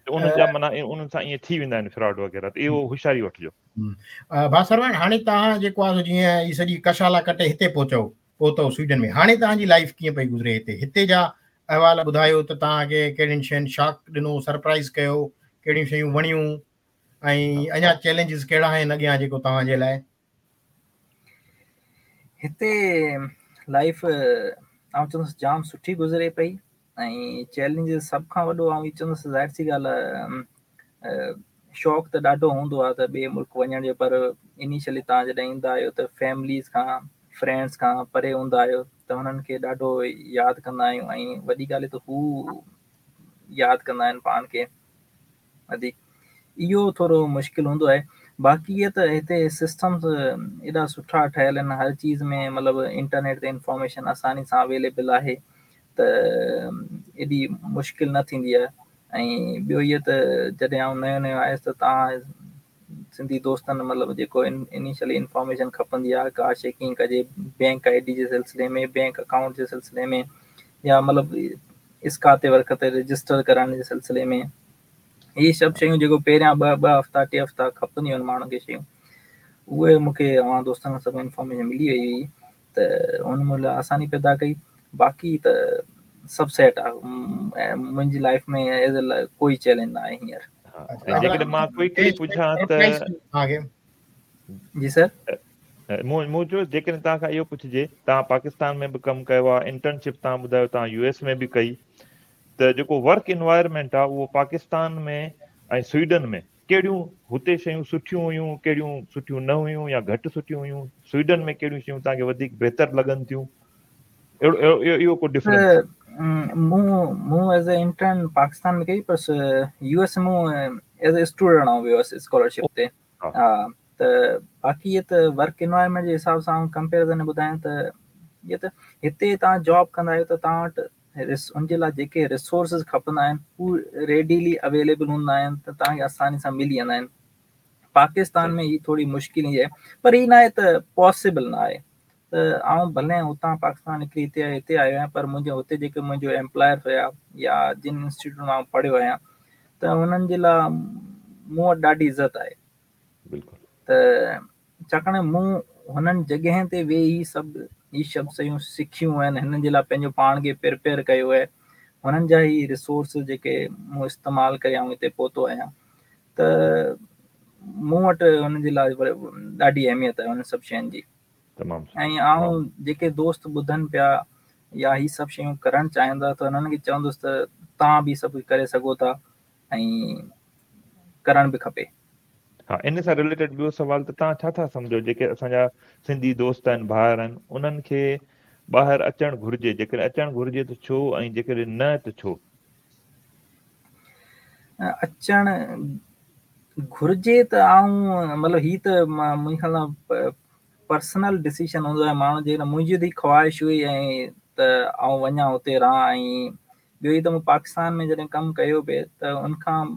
Speaker 1: ته انهن جا معنيٰ انهن سان ائين ٿي ويندا آهن فراڊ وغيره. ته اهو هوشياري وٺجو.
Speaker 4: ڀاءُ سروڻ هاڻي توهان جيڪو آهي جيئن هي سڄي ڪشالا ڪٽي هتي پهچو پهتو سوئيڊن ۾ هاڻي توهان جي لائيف ڪيئن پئي گذري هتي؟ هتي جا احوال ٻڌايو ته توهان کي ڪهڙين شين شاڪ ڏنو سرپرائز ڪيو ڪهڙيون شيون وڻيون ۽ اڃا چئلينجز ڪهڙا آهن اڳيان جيڪو توهان جي لاءِ؟
Speaker 3: هتي لائيف آئون چوندس جام سٺي گذري پئي ۽ چئلينجز سڀ کان وڏو آئون اهو چوندس ظاهر سي ڳالهه آهي شوق ته ڏاڍو هوندو آهي ته ٻئي ملڪ وڃڻ جو پر انيشلي توهان جڏهن ايندا آهيو ته فيمليز کان فرينڊس کان پري هوندا آهيو ته هنن کي ڏاڍو ياد ڪندا آهيون ۽ وڏي ڳالهه ته هو ياد ڪندا آهن پاڻ کي وڌيڪ. اهو ٿورو مشڪل هوندو آهي. باقي اهي ته هتي سسٽمس ايڏا سٺا ٺهيل آهن هر چيز ۾ مطلب انٽرنيٽ تي انفارميشن آساني سان اويليبل آهي ته ايڏي مشڪل نه ٿيندي آهي. ۽ ٻيو اهو ته جڏهن آئون نئون نئون آيس ته توهان سنڌي دوستن مطلب جيڪو انيشلي انفارميشن کپندي آهي ڪا شيءِ ڪيئن ڪجي بينڪ I D جي سلسلي ۾ بينڪ اڪائونٽ جي سلسلي ۾ يا مطلب اسڪاتي ورڪ تي رجسٽر ڪرائڻ جي سلسلي ۾ اهي سڀ شيون جيڪو پهريان ٻه ٻه هفتا ٽي هفتا کپنديون آهن ماڻهن کي شيون اهي مون کي اوهان دوستن کان سڀ انفارميشن ملي وئي هئي ته ان مون لاءِ آساني پيدا ڪئي. باقي ته سڀ سيٽ آهي منهنجي لائيف ۾ ايز ڪوئي چئلينج نه آهي هينئر.
Speaker 1: جيڪڏهن مان ڪوئڪلي پڇان ته
Speaker 3: جي سر
Speaker 1: مون مون چيو جيڪڏهن توهان کان اهو پڇجي توهان پاڪستان ۾ به ڪم ڪيو آهي انٽرنشپ توهان ٻڌايو توهان يو ايس ۾ به ڪئي ته جيڪو ورڪ انوائرمينٽ آهي اهو پاڪستان ۾ ۽ سوئيڊن ۾ ڪهڙيون هتي شيون سٺيون هيون ڪهڙيون سٺيون نه هيون يا گهٽ سٺيون هيون سوئيڊن ۾ ڪهڙيون شيون توهان کي وڌيڪ بهتر لڳن ٿيون اهڙو اهو ڪو ڊفرنس؟
Speaker 3: مون مون ايز اي انٽرن پاڪستان ۾ ڪئي پر يو ايس مون ايز اي اسٽوڊنٽ آئون ويو هئس اسڪالرشپ تي. ها ته باقي اهي ته ورڪ انوائرمينٽ جي حساب سان آئون ڪمپيرزن ٻڌايان ته اهي ته هتي توهان جاب ڪندا آهيو ته توهان وٽ ان جي لاءِ جيڪي ريسورسز کپندا آهن هو ريڊيلي اويليبل هوندا آهن ته توهان کي آساني سان ملي ويندا آهن. پاڪستان ۾ هيءَ ٿوري مشڪل آهي پر هيءَ نه آهي ته پاسيبل نه آهي. ته آئون ڀلي هتان پاڪستان نڪري هتي هتي آيو آهيان پر منهنجو هتي جيڪي منهنجو ايمپلائر هئا يا جن انسٽيٽيوٽ مان پڙهيو آهيان ته هنن جي لاءِ مون وٽ ڏاڍي عزت آهي.
Speaker 1: بلڪل.
Speaker 3: ته ڇاڪاڻ مون هنن جڳهين تي ويهي سڀ اهي سڀ شيون سکيون آهن هنن جي لاءِ پنهنجو پاڻ کي پريپيئر ڪيو آهي هنن جا ئي ريسورس جيڪي مون استعمال ڪري آئون هتي پهتو آهيان ته مون وٽ هنن جي لاءِ ڏاڍي اهميت آهي هنن سڀ شين جي.
Speaker 1: تمام
Speaker 3: ۽ آئون جيڪي دوست ٻڌن پيا يا هي سڀ شيون ڪرڻ چاهيندا ته هنن کي چوندس ته توهان به سڀ ڪري سگهو ٿا ۽ ڪرڻ به کپي.
Speaker 1: ها ان سان رليٽيڊ ٻيو سوال ته توهان ڇا ٿا سمجهو جيڪي اسان جا سنڌي دوست آهن ڀائر آهن انهن کي ٻاهر اچڻ گهرجي جيڪڏهن اچڻ گهرجي ته ڇو ۽ جيڪڏهن نه ته ڇو؟
Speaker 3: اچڻ گهرجي ته آئون مطلب هيءَ ته منهنجي خيال سان پرسنل ڊسيزن هوندو آهي ماڻهو جي منهنجي ته خواهش هئي ۽ ته آئون وڃان هتي رهان ۽ ٻيو ئي ته مون پاڪستان ۾ جڏهن ڪم ڪيو پئي ته ان کان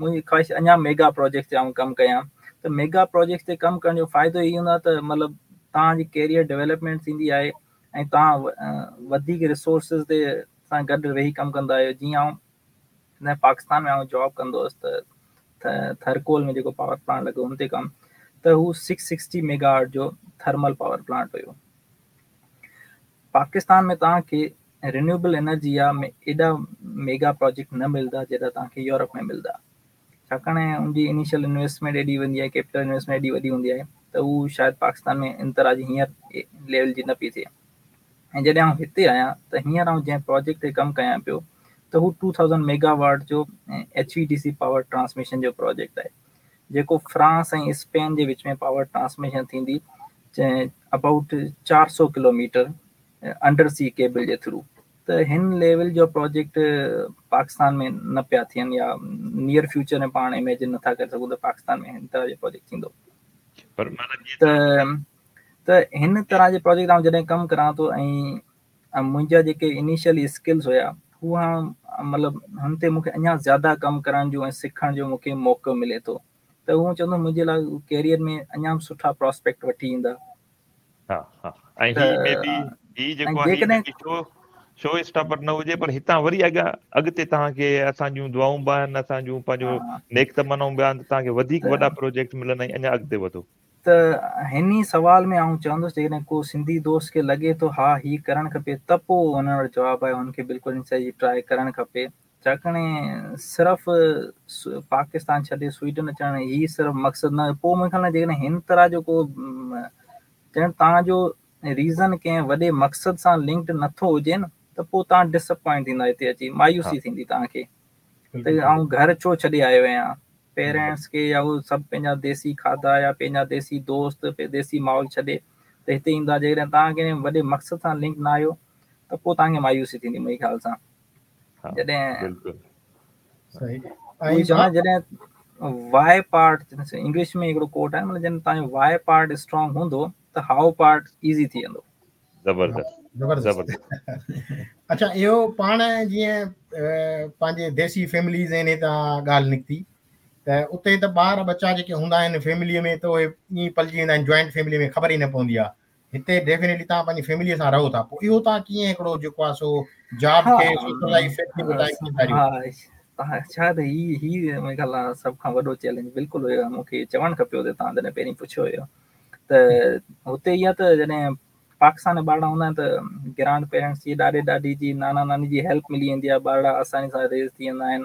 Speaker 3: منهنجي خواهش اڃا ميگا پروجيڪٽ تي آئون ڪم ڪيان ته ميگا پروجيڪٽ تي ڪم ڪرڻ جو فائدو اهو هوندو آهي ته مطلب توهان جي ڪيريئر ڊولپمينٽ ٿيندي آهي ۽ توهان وڌيڪ ريسورسز تي سان گڏ ويهي ڪم ڪندا آهيو. جيئن آئون پاڪستان ۾ آئون جاب ڪندو هئس ته ٿرڪول ۾ جيڪو پاور پلانٽ لڳو هن تي ڪم ته هو سڪس سڪسٽي ميگا واٽ جو ٿرمل پاور پلانٽ هيو. پاڪستان ۾ توهان کي رينيوئيبل انرجي آهي ايڏا ميگا پروجيڪٽ نه ملندا جيڏا توهان کي يورپ ۾ ملندا ڇاڪاڻ ان جي انيشل انويسٽمينٽ ايڏي ويندي آهي ڪيپيٽل انويسٽمينٽ ايڏي وڏي هوندي آهي ته هو شايد پاڪستان ۾ ان طرح جي هينئر ليول جي نه پئي ٿئي. ۽ جڏهن آئون هتي آهيان ته هينئر آئون جنهن پروجيڪٽ تي ڪم ڪيان پيو ته هو ٽو ٿائوزنڊ ميگا واٽ جو H V D C power transmission جو پروجيڪٽ آهي جيڪو فرانس ۽ اسپين جي وچ ۾ پاور ٽرانسميشن ٿيندي ابائوٽ چار سؤ kilo metre under C cable جي ٿرو. ته هن ليول جو پروجيڪٽ پاڪستان ۾ نه پيا ٿين يا نيئر فيوچر ۾ پاڻ اميجن نٿا ڪري سگهون ته پاڪستان ۾ هن طرح جو پروجيڪٽ ٿيندو.
Speaker 1: پر
Speaker 3: ته ته هن طرح جي پروجيڪٽ آئون جڏهن ڪم ڪران ٿو ۽ منهنجا جيڪي انيشل اسڪلس هئا هو مطلب هن تي مون کي اڃا زياده ڪم ڪرڻ جو ۽ سکڻ جو مون کي موقعو ملي ٿو ته اهو چوندو منهنجي لاءِ ڪيريئر ۾ اڃا به سٺا پراسپيڪٽ وٺي ايندا.
Speaker 1: ها ها ۽ هي مي بي هي جيڪو آهي شو شو اسٽاپر نه هجي پر هتان وري اڳيان اڳتي توهان کي اسان جون دعائون به آهن اسان جون پنهنجو نيڪ تمنائون به آهن ته توهان کي وڌيڪ وڏا پروجيڪٽ ملن ۽ اڃا اڳتي وڌو.
Speaker 3: ته هن ئي سوال ۾ آئون چوندس جيڪڏهن ڪو سنڌي دوست کي لڳي ٿو ها هيءَ ڪرڻ کپي ته پوءِ هن وٽ جواب آهي هن کي بلڪل هن شيءِ جي ٽرائي ڪرڻ کپي. ڇاڪاڻ صرف پاڪستان ڇڏي سوئيڊن اچڻ هيءَ صرف مقصد نه پوءِ منهنجي خيال ۾ جيڪڏهن هن طرح جو ڪو ڄڻ توهان جو ريزن ڪنهن وڏي مقصد سان لنڪڊ نٿو هجي نه ته پوءِ توهان ڊسپوائنٽ ٿيندا هتي اچي مايوسي ٿيندي توهان کي ته آئون گهر ڇو ڇڏي آيو آهيان پيرينٽس کي يا اهي سڀ پنهنجا ديسي کاڌا يا پنهنجا ديسي دوست ديسي ماحول ڇڏي ته هتي ايندا. جيڪڏهن توهان ڪنهن وڏي مقصد سان لنڪ نه آهيو ته پوءِ توهان کي مايوسي ٿيندي منهنجي خيال سان. جڏهن جڏهن وائي پارٽ انگلش ۾ هڪڙو ڪوٽ آهي مطلب جڏهن توهان جو وائي پارٽ اسٽرانگ هوندو ته how part easy ٿي ويندو.
Speaker 1: زبردست
Speaker 4: زبردست. اڇا اهو پاڻ جيئن پنهنجي ديسي فيمليز آهن هتان ڳالهه نڪتي ته اتي ته ٻار ٻچا جيڪي هوندا آهن فيمليءَ ۾ ته اهي ائين پلجي ويندا آهن جوائنٽ فيملي ۾ خبر ئي نه پوندي آهي. هتي ڊيفينيٽلي توهان پنهنجي فيمليءَ سان رهو ٿا، پوءِ اهو توهان ڪيئن هڪڙو جيڪو آهي سو جاب کي سوشل لائيف
Speaker 3: ها ڇا ته هي هي منهنجي خيال آهي سڀ کان وڏو چئلينج بلڪل هيو. مون کي چوڻ کپيو ته توهان جڏهن پهرين پڇيو هيو ته هتي اها ته جڏهن پاڪستان ۾ ٻارڙا هوندا آهن ته گرانڊ پيرنٽس جي ڏاڏي ڏاڏي جي نانا ناني جي هيلپ ملي ويندي آهي، ٻارڙا آساني سان ريز ٿي ويندا آهن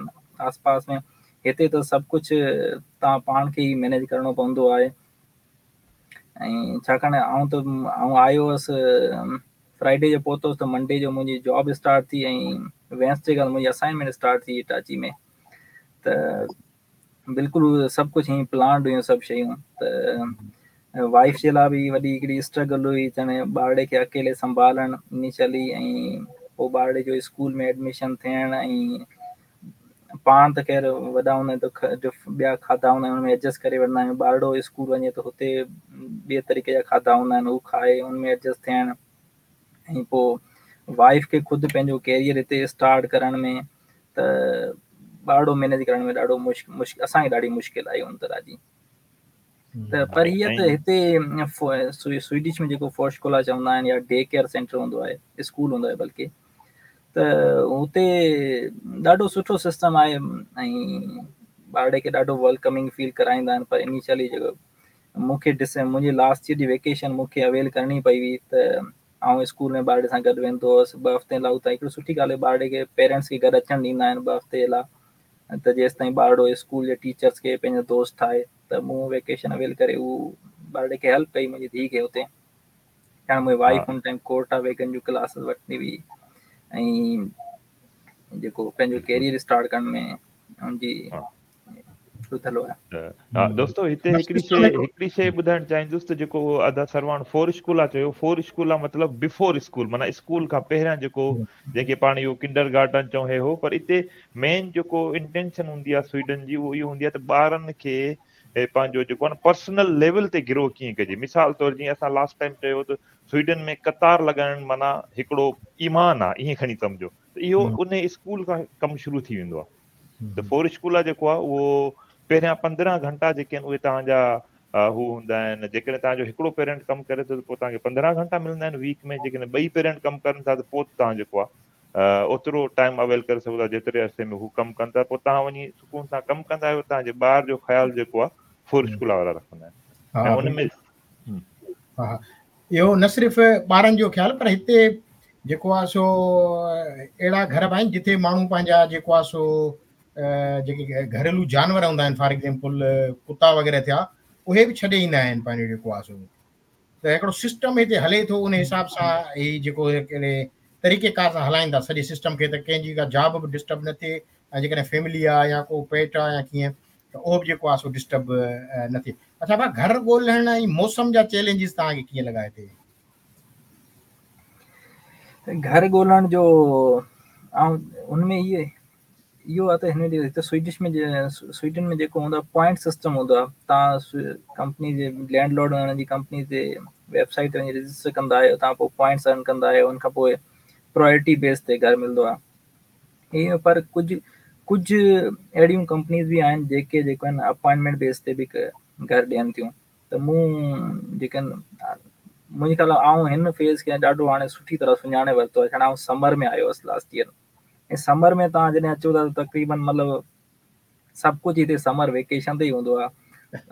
Speaker 3: آس پاس ۾. هتي ته سڀ ڪجهه توهان پاڻ کي ئي مئنيج ڪرڻو پوندو آهي. ۽ ڇاڪاڻ آئون ته آئون آيو هئس فرائيڊي جو پهتوس ته منڊي جو منهنجي جاب اسٽارٽ ٿي ۽ وينسڊي کان منهنجي اسائنمينٽ اسٽارٽ ٿي اٽاچي ۾. ته بلڪل سڀ ڪجهه ائين پلانڊ هيون سڀ شيون. ته وائيف جي لاءِ به وڏي هڪڙي اسٽرگل هئي، چاهي ٻارڙي کي اڪيلي سنڀالڻ انيشلي ۽ پوءِ ٻارڙي جو اسڪول ۾ ايڊميشن ٿيڻ ۽ پاڻ ته خير وڏا هوندا آهن ته ٻيا کاڌا هوندا آهن هن ۾ ايڊجسٽ ڪري وٺندا آهيون. ٻارڙو اسڪول وڃي ته هتي ٻئي طريقي جا کاڌا هوندا آهن، هو کائي هن ۾ ايڊجسٽ ٿيڻ ۽ پوءِ وائيف کي خود پنهنجو ڪيريئر هتي اسٽارٽ ڪرڻ ۾ ته ٻارڙو مئنيج ڪرڻ ۾ ڏاڍو مشڪل اسان کي ڏاڍي مشڪل آئي هن طرح جي. ته پر هيءَ ته هتي سوئيڊش ۾ جيڪو فورشڪولا چوندا آهن يا ڊي ڪيئر سينٽر هوندو آهي، اسڪول هوندو آهي بلڪه، ته هتي ڏاڍو سٺو سسٽم آهي ۽ ٻارڙي کي ڏاڍو ويلڪمنگ فيل ڪرائيندا آهن. پر انيشلي جيڪو مون کي ڊس منهنجي لاسٽ ايئر جي ويڪيشن مون کي اويل ڪرڻي پئي هئي ته آئون اسڪول ۾ ٻارڙي سان گڏ ويندو هئس ٻه هفتي لاءِ. اتان هڪڙي سٺي ڳالهه آهي ٻارڙي کي پيرنٽس کي گڏ اچڻ ڏيندا آهن ٻه هفتي لاءِ، ته جيس تائين ٻارڙو اسڪول جي ٽيچرس کي پنهنجو دوست ٺاهي. ته مون ويڪيشن اويل ڪري اهو ٻارڙي کي هيلپ ڪئي منهنجي ڌيءُ کي هتي. ڇاڪاڻ منهنجي وائيف هن ٽائيم ڪورٽا ويگن جون ڪلاسز وٺندي هئي ۽ جيڪو پنهنجو ڪيريئر اسٽارٽ ڪرڻ ۾ هن جي رڌل آهي.
Speaker 1: ها دوستو هتي هڪڙي شيءِ هڪڙي شيءِ ٻڌائڻ چاهيندس ته جيڪو ادا سرواڻ فور اسڪول آهي چيو، فور اسڪول آهي مطلب بفور اسڪول، معنيٰ اسڪول کان پهريان جيڪو جنهن کي پاڻ اهو ڪنڊر گارڊن چئون هي هو. پر هتي مين جيڪو انٽينشن هوندي آهي سوئيڊن جي اهو اهو هوندي آهي ته ٻارن کي پنهنجو جيڪو آهي نه پرسنل ليول تي گرو ڪيئن ڪجي. مثال طور جيئن اسان لاسٽ ٽائيم چيو ته سوئيڊن ۾ قطار لڳائڻ معنيٰ هڪڙو ايمان آهي، ائين کڻي سمجهو ته اهو ان اسڪول کان ڪم شروع ٿي ويندو آهي. ته فور اسڪول آهي جيڪو آهي اهو پهريان پندرهن گهنٽا جيڪي آهن اهي توهان جا هو هوندا آهن. جيڪڏهن توهان جو هڪڙو پيرنٽ ڪم ڪري ٿو ته پوءِ توهان کي پندرهن گهنٽا ملندا آهن ويڪ ۾، جيڪڏهن ٻئي پيرنٽ ڪم ڪن ٿا ته پوءِ توهان جيڪو آهي اوترو ٽائيم اويل ڪري سگهو ٿا جيتري عرصي ۾ هو ڪم ڪن ٿا. پوءِ توهان وڃي سڪون سان ڪم ڪندا آهيو، توهان جي ٻار جو خيال جيڪو آهي فور اسڪول وارا رکندا آهن. ۽ ان ۾
Speaker 4: ها اهو نه صرف ٻارن جو خيال پر هتي جيڪو آهي سو اهڙا گهر به آهن جتي ماڻهو پنهنجا جيڪو آهي سو جيڪي گهريلو جانور هوندا آهن، فار ايگزامپل ڪتا وغيره ٿيا، اهي به ڇڏي ايندا آهن پنهنجو جيڪو آهي سو. ته هڪڙو سسٽم هتي هلي ٿو، ان حساب سان هي جيڪو هڪڙي طريقيڪار سان هلائين ٿا سڄي سسٽم کي، ته ڪنهن جي ڪا جاب به ڊسٽرب نه ٿئي ۽ جيڪڏهن فيملي آهي يا ڪو پيٽ آهي يا ڪيئن ته اهو به جيڪو آهي سو ڊسٽرب نه ٿئي. اڇا ڀاءُ، گهر ڳولهڻ ۽ موسم جا چئلينجز توهان کي ڪيئن لڳا هتي؟
Speaker 3: گهر ڳولهڻ جو ۽ هن ۾ اهي اهو آهي ته هن هتي سوئيڊش ۾ سوئيڊن ۾ جيڪو هوندو آهي پوائنٽ سسٽم هوندو آهي. توهان ڪمپني جي لينڊ لارڊ هن جي ڪمپني تي ويب سائيٽ تي وڃي رجسٽر ڪندا آهيو، توهان پوءِ پوائنٽس ارن ڪندا آهيو، هن کان پوءِ پرايورٽي بيس تي گهر ملندو آهي. ائين پر ڪجهه ڪجهه اهڙيون ڪمپنيز به آهن جيڪي جيڪو آهن اپائنٽمينٽ بيس تي به گهر ڏين ٿيون. ته مون جيڪي منهنجي خيال آئون هن فيز کي ڏاڍو هاڻي سٺي طرح سڃاڻي ورتو آهي. ڇاڪاڻ آئون سمر ۾ آيو هئس لاسٽ ايئر ۽ سمر ۾ توهان جڏهن اچو ٿا ته تقريبن مطلب سڀ ڪجهه هتي سمر ويڪيشن تي ئي هوندو آهي،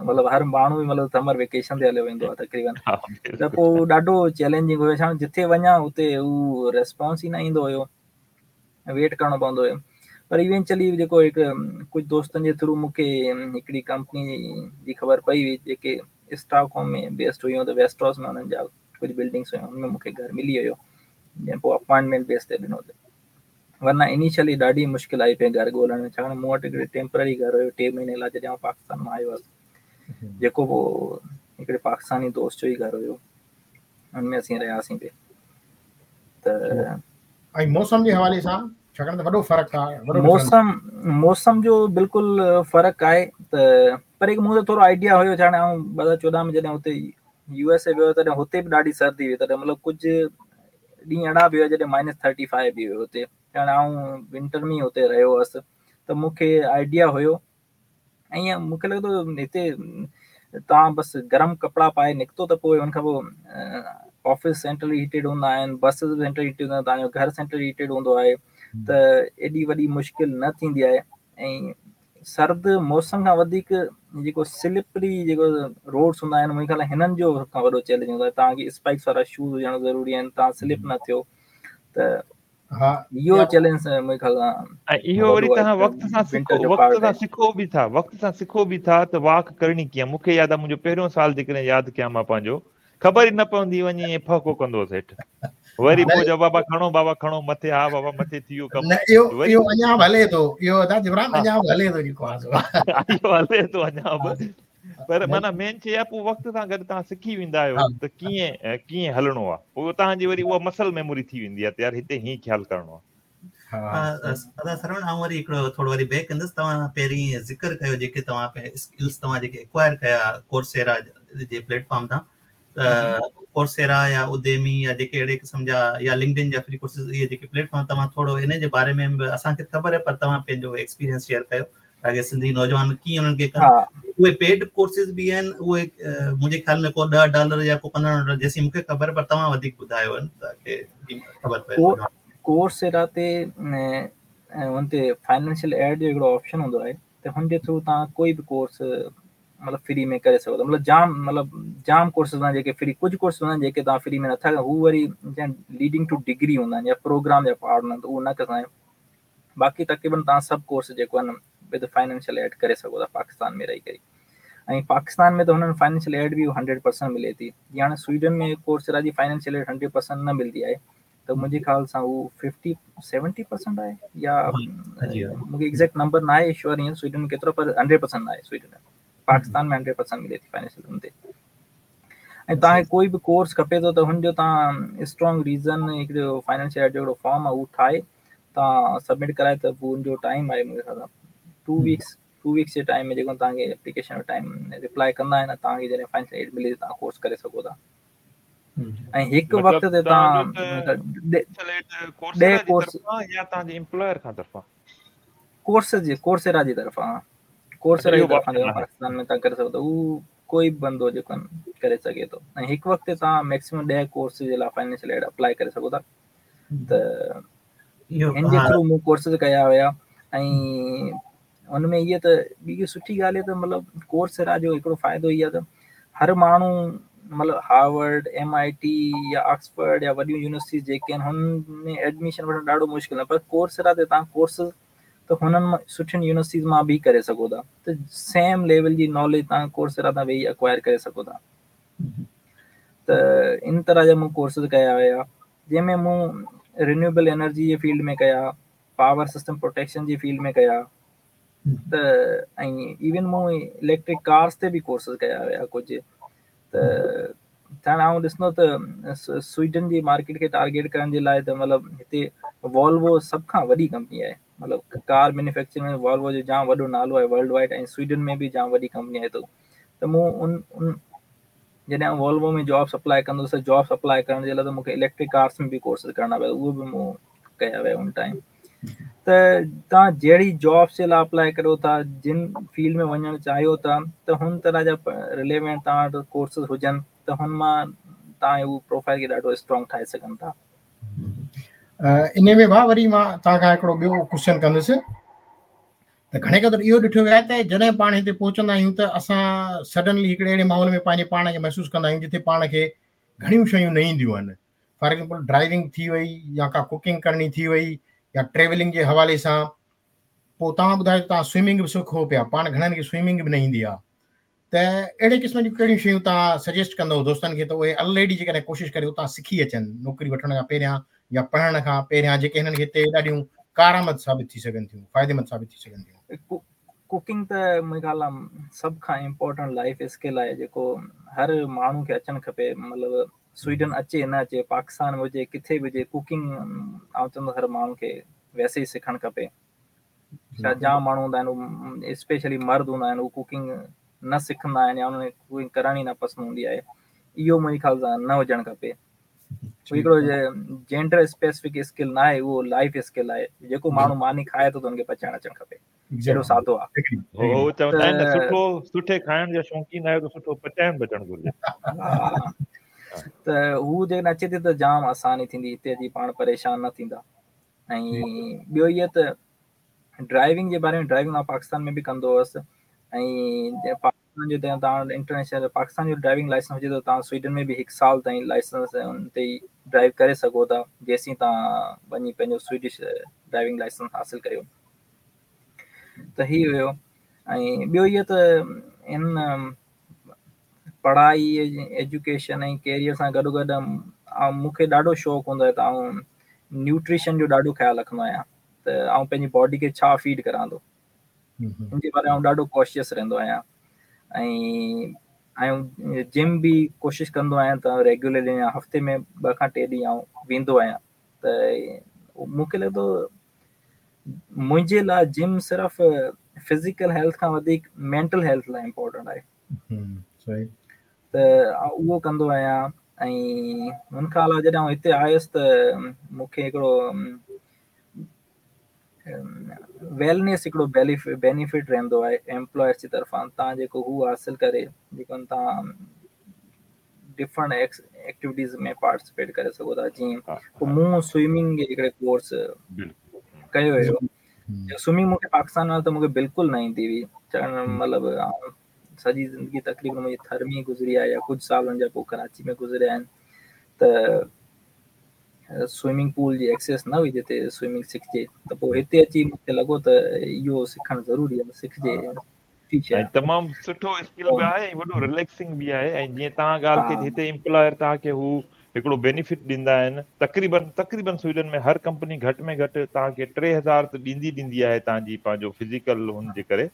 Speaker 3: مطلب هر ماڻهو به مطلب سمر ويڪيشن تي هليو ويندو آهي تقريبن. ته پوءِ ڏاڍو چئلينجنگ هيو، ڇاڪاڻ جتي وڃان اتي اهو ريسپانس ئي نه ايندو هيو، ويٽ ڪرڻو پوندو هيو. پر ايونچلي جيڪو هڪ ڪجهه دوستن جي ٿرو مون کي هڪڙي ڪمپني جي خبر پئي هئي جيڪي اسٽاڪهوم ۾ بيسڊ هيون، ته ويسٽروس ۾ هنن جا ڪجهه بلڊنگس هيون، هن ۾ مون کي گهر ملي ويو، جنهن پوءِ اپائنٽمينٽ بيس تي ڏنو. ورنه انيشلي ڏاڍي مشڪل آئي پئي گهر ڳولهڻ ۾، ڇاڪاڻ مون وٽ هڪڙي ٽيمپرري گهر هيو ٽي مهيني لاءِ جڏهن آئون پاڪستان مان آيو هئس، جيڪو پوءِ هڪڙي پاڪستاني دوست جو ئي گهر هيو، هن ۾ اسين رهياسين پئي. ته
Speaker 4: ۽ موسم جي حوالي سان ڇاڪاڻ ته وڏو فرق آهي،
Speaker 3: موسم موسم جو بلڪل فرق آهي. ته پر هڪ مون کي ٿورو آئيڊيا هيو، ڇاڪاڻ آئون ٻه هزار چوڏهن ۾ جڏهن هتي يو ايس اي ويو تڏهن هتي به ڏاڍي سردي هئي، تڏهن مطلب ڪجهه ڏينهن اهڙا به هئا جڏهن مائنس ٿرٽي فائيو به هيو هتي، ڇاڪاڻ آئون ونٽر ۾ ئي هتي رهيو هئس، ته مون کي آئيڊيا هيو. ۽ مون کي لڳي ٿو هتي توهان بس گرم ڪپڙا پائي نڪتو ته پوءِ ان کان پوءِ آفيس سينٽرلي هيٽيڊ هوندا آهن، بسز به سينٽرل هيٽيڊ هوندا آهن، توهان جو گهر سينٽرل هيٽيڊ هوندو آهي، ته ايڏي وڏي مشڪل نه ٿيندي آهي. ۽ سرد موسم کان وڌيڪ جيڪو سلپري جيڪو روڊس هوندا آهن، منهنجي خيال هنن جو سڀ کان وڏو چئلينج هوندو آهي. توهان کي اسپائڪس وارا شوز هجڻ ضروري آهن، توهان سلپ نه ٿيو، ته
Speaker 4: ها
Speaker 3: اهو چئلينج منهنجي خيال سان
Speaker 1: ۽ اهو وري توهان وقت سان سکو، وقت سان سکو به ٿا، وقت سان سکو به ٿا ته واڪ ڪرڻي ڪيئن. مون کي ياد آهي منهنجو پهريون سال جيڪڏهن ياد ڪيان مان پنهنجو، خبر ئي نه پوندي وڃي ائين ڦهڪو ڪندو هوس هيٺ، وري پوءِ چئو بابا کڻو، بابا کڻو مٿي، ها بابا مٿي ٿي ويو ڪم.
Speaker 4: نه اهو اهو اڃا به هلي ٿو، اهو ادا جبران اڃا به هلي ٿو جيڪو آهي سو
Speaker 1: اهو هلي ٿو اڃا به، پر معنيٰ مين شيءِ آهي پوءِ وقت سان گڏ توهان سکي ويندا آهيو ته ڪيئن ڪيئن هلڻو آهي، پوءِ توهان جي وري اها مسل ميموري ٿي ويندي آهي ته يار هتي هيئن خيال ڪرڻو آهي.
Speaker 2: ادا سروڻ آئون وري هڪڙو ٿورو وري بيڪ ڪندس، توهان پهرين ذڪر ڪيو جيڪي توهان اسڪلز توهان جيڪي اڪوائر ڪيا ڪورسيرا جي پليٽ فارم تان، ته ڪورسيرا يا اديمي يا جيڪي اهڙي قسم جا يا لنڪڊ ان جا فري ڪورسز، اهي جيڪي پليٽ فارم توهان ٿورو ان جي باري ۾ به اسان کي خبر آهي، پر توهان پنهنجو ايڪسپيرينس شيئر ڪيو تاڪه سنڌي نوجوان ڪيئن انهن کي ڪن. اهي پيڊ ڪورسز به آهن، اهي منهنجي خيال ۾ ڪو ڏهه ڊالر يا ڪو پندرهن ڊالر جيسين مون کي خبر، پر توهان وڌيڪ ٻڌايو تاڪه خبر پئي.
Speaker 3: ڪورسيرا تي ان تي فائنانشل ايڊ جو هڪڙو آپشن هوندو آهي، ته هن جي ٿرو توهان ڪوئي به ڪورس مطلب فري ۾ ڪري سگهو ٿا. مطلب جام مطلب جام ڪورسز هوندا آهن جيڪي فري، ڪجهه ڪورس هوندا آهن جيڪي توهان فري ۾ نٿا ڪيو، هو وري ليڊنگ ٽو ڊگري هوندا آهن يا پروگرام جا پارٽ هوندا آهن، ته اهو نه ڪندا آهيون. باقي تقريبن توهان سڀ ڪورس جيڪو آهن ود فائنانشل ايڊ ڪري سگهو ٿا پاڪستان ۾ رهي ڪري. ۽ پاڪستان ۾ ته هنن فائنانشل ايڊ به هنڊريڊ پرسنٽ ملي ٿي. جيئن هاڻي سوئيڊن ۾ ڪورسيرا جي فائنانشل ايڊ هنڊريڊ پرسنٽ نه ملندي آهي، ته منهنجي خيال سان هو ففٽي سيونٽي پرسنٽ آهي، يا مون کي ايگزيڪٽ نمبر نه آهي شوئر هينئر سوئيڊن ۾ ڪيترو، پر هنڊريڊ پرسنٽ نه آهي سوئيڊن ۾. پاڪستان ۾ هنڊريڊ پرسنٽ ملي ٿي فائنانشل ان تي. ۽ توهان کي ڪوئي به ڪورس کپي ٿو ته هن جو توهان اسٽرانگ ريزن هڪڙو فائنانشل ايڊ جو هڪڙو فارم آهي اهو ٺاهي توهان سبمٽ ڪرائي ته پوءِ هن جو ٽائيم آهي منهنجي خيال سان ٽو ويڪس، ٽو ويڪس جي ٽائيم ۾ جيڪو توهان کي ايپليڪيشن جو ٽائيم رپلائي ڪندا آهن، توهان کي جڏهن فائنانشل ايڊ ملي توهان ڪورس ڪري سگهو ٿا. ۽ هڪ وقت تي توهان ڏهه ڪورس
Speaker 1: يا توهان جي ايمپلائر کان طرفان
Speaker 3: ڪورس جي ڪورسيرا جي طرفان، ڪورسيرا جي طرفان پاڪستان ۾ توهان ڪري سگهو ٿا، اهو ڪوئي به بندو جيڪو ڪري سگهي ٿو. ۽ هڪ وقت تي توهان ميڪسيمم ڏهه ڪورس جي لاءِ فائنانشل ايڊ اپلائي ڪري سگهو ٿا. ته هن جي ٿرو مون ڪورسز ڪيا هئا. ۽ هن ۾ اها ته ٻي سٺي ڳالهه ته مطلب ڪورسيرا جو هڪڙو فائدو اهو آهي ته هر ماڻهو مطلب هارورڊ، ايم I ٽي يا آڪسفورڊ يا وڏيون يونيورسٽيز جيڪي آهن هن ۾ ايڊميشن وٺڻ ڏاڍو مشڪل آهي، پر ڪورسيرا تي توهان ڪورسز ته هنن مان سٺين يونيورسٽيز مان به ڪري سگهو ٿا، ته سيم ليول جي ناليج توهان ڪورسيرا تان ويهي اڪوائر ڪري سگهو ٿا. ته ان طرح جا مون ڪورسز ڪيا هئا، جنهن ۾ مون رينيوئيبل انرجي جي فيلڊ ۾ ڪيا، پاور سسٽم پروٽيڪشن جي فيلڊ ۾ ڪيا، ته ۽ ايون مون اليڪٽرڪ ڪارس تي به ڪورسز ڪيا هئا ڪجهه. ته هاڻي آئون ڏسندو ته سوئيڊن جي مارڪيٽ کي ٽارگيٽ ڪرڻ جي لاءِ ته مطلب هتي والوو سڀ کان وڏي ڪمپني آهي، مطلب ڪار مينوفيڪچرنگ ۾ والوو جو جام وڏو نالو آهي ورلڊ وائيڊ، ۽ سوئيڊن ۾ به جام وڏي ڪمپني آهي. ته مون ان ان جڏهن آئون والوو ۾ جابس اپلائي ڪندو هوس ته جابس اپلائي ڪرڻ جي لاءِ ته مون کي اليڪٽرڪ ڪارس ۾ به ڪورسز ڪرڻا پيا، اهي به مون ڪيا ويا ان ٽائيم. ته توهان جهڙي جابس جي لاءِ اپلائي ڪريو ٿا، جن فيلڊ ۾ وڃڻ چاهيو ٿا، ته هن طرح جا رليونٽ توهان وٽ ڪورسز هجن ته هن مان توهان اهو پروفائل کي ڏاڍو اسٽرانگ ٺاهي سگهن ٿا.
Speaker 4: ان ۾ ڀاءُ وري مان توهان کان هڪڙو ٻيو ڪوئسچن ڪندس ته گهڻي قدر اهو ڏٺو ويو آهي ته جڏهن پاڻ هتي پهچندا آهيون ته اسان سڊنلي هڪڙي اهڙي ماحول ۾ پنهنجي پاڻ کي محسوس ڪندا آهيون جتي پاڻ کي گهڻيون شيون نه اينديون آهن. فار ايگزامپل ڊرائيونگ ٿي وئي يا ڪا ڪوڪنگ ڪرڻي ٿي وئي يا ٽريولنگ جي حوالي سان. پوءِ توهان ٻڌايو توهان سوئمنگ به سکو پيا، پاڻ گهڻن کي سوئمنگ به نه ايندي آهي، ته اهڙي قسم جون ڪهڙيون شيون توهان سجيسٽ ڪندؤ دوستن کي ته اهي آلريڊي جيڪڏهن ڪوشش ڪري اتان سکي اچن نوڪري وٺڻ کان پهريان يا پڙهڻ کان پهريان، جيڪي هنن کي هتي ڏاڍيون ڪارآمد ثابت ٿي سگهن ٿيون، فائديمند ثابت ٿي سگهن ٿيون؟
Speaker 3: ڪوڪنگ ته منهنجي خيال آهي سڀ کان امپورٽنٽ لائيف اسڪل آهي جيڪو هر ماڻهو کي اچڻ کپي. مطلب سوئيڊن اچي نه اچي، پاڪستان ۾ هجي، ڪٿي به هجي، ڪوڪنگ آئون چوندس هر ماڻهو کي ويسي ئي سکڻ کپي. ڇا جام ماڻهو هوندا آهن، اسپيشلي مرد هوندا آهن، اهي ڪوڪنگ نه سکندا آهن يا انهن کي ڪوڪنگ ڪرڻ ئي نه پسند هوندي آهي. اهو منهنجي خيال سان نه هجڻ کپي. هڪڙو جينڊر اسپيسفڪ اسڪل نه آهي، اهو لائيف اسڪل آهي. جيڪو ماڻهو ماني کائي ٿو ته هن کي پچائڻ اچڻ کپي. اهڙو سادو آهي.
Speaker 1: هو چوندا آهن نه سٺو سٺي کائڻ جا شوقين آهيو ته سٺو پچائڻ به اچڻ گهرجي.
Speaker 3: ته هو جيڪڏهن اچي ٿي ته جام آساني ٿيندي، هتي اچي پاڻ پريشان نه ٿيندا. ۽ ٻيو اهو ته ڊرائيونگ جي باري ۾، ڊرائيونگ مان پاڪستان ۾ به ڪندو هئس ۽ پاڪستان جو توهان انٽرنيشنل پاڪستان جو ڊرائيونگ لائسنس هجي ته توهان سوئيڊن ۾ به هڪ سال تائين لائسنس ان تي ئي ڊرائيو ڪري سگهو ٿا جيسين توهان وڃي پنهنجو سوئيڊش ڊرائيونگ لائسنس حاصل ڪريو. ته هي هيو. ۽ ٻيو اهو ته ان پڙهائي ايجوڪيشن ۽ ڪيريئر سان گڏو گڏ مون کي ڏاڍو شوق هوندو آهي ته آئون نيوٽريشن جو ڏاڍو خيال رکندو آهيان ته آئون پنهنجي باڊي کي ڇا فيڊ ڪران ٿو، ان جي باري ۾ آئون ڏاڍو ڪاشيس رهندو آهيان. ۽ ۽ جم به ڪوشش ڪندو آهيان ته ريگيولرلي هفتي ۾ ٻه کان ٽي ڏينهن آئون ويندو آهيان. ته مون کي لڳي ٿو منهنجي لاءِ جم صرف فزيڪل هيلٿ کان وڌيڪ مينٽل هيلٿ لاءِ امپورٽنٽ آهي. ته اهو ڪندو آهيان. ۽ هن کان علاوه جڏهن آئون هتي آيس ته مون کي هڪڙو ويلنيس هڪڙو بينيفٽ رهندو آهي ايمپلائرس جي طرفان، توهان جيڪو هو حاصل ڪري جيڪو توهان ڊفرنٽ ايڪٽيوٽيز ۾ پارٽيسپيٽ ڪري سگهو ٿا. جيئن پوءِ مون سوئمنگ جي هڪڙي ڪورس ڪيو هيو. سوئمنگ مون کي پاڪستان ۾ ته مون کي بلڪل نه ايندي هئي، مطلب سڄي زندگي تقريبن منهنجي ٿر ۾ گذري آهي يا ڪجهه سال هن جا پوءِ ڪراچي ۾ گذريا آهن. ته سوئمنگ پول جي ايڪسيس نه هئي جتي سوئمنگ سکجي، ته پوءِ هتي اچي مون کي لڳو ته اهو سکڻ ضروري آهي، سکجي.
Speaker 1: تمام سٺو اسڪل به آهي ۽ وڏو رليڪسنگ به آهي. ۽ جيئن توهان ڳالهه ڪئي هتي ايمپلائر توهان کي هو هڪڙو بينيفٽ ڏيندا آهن. تقريبن تقريبن سوئيڊن ۾ هر ڪمپني گهٽ ۾ گهٽ توهان کي ٽي هزار ته ڏيندي ڏيندي آهي توهان جي پنهنجو فزيڪل هن جي ڪري.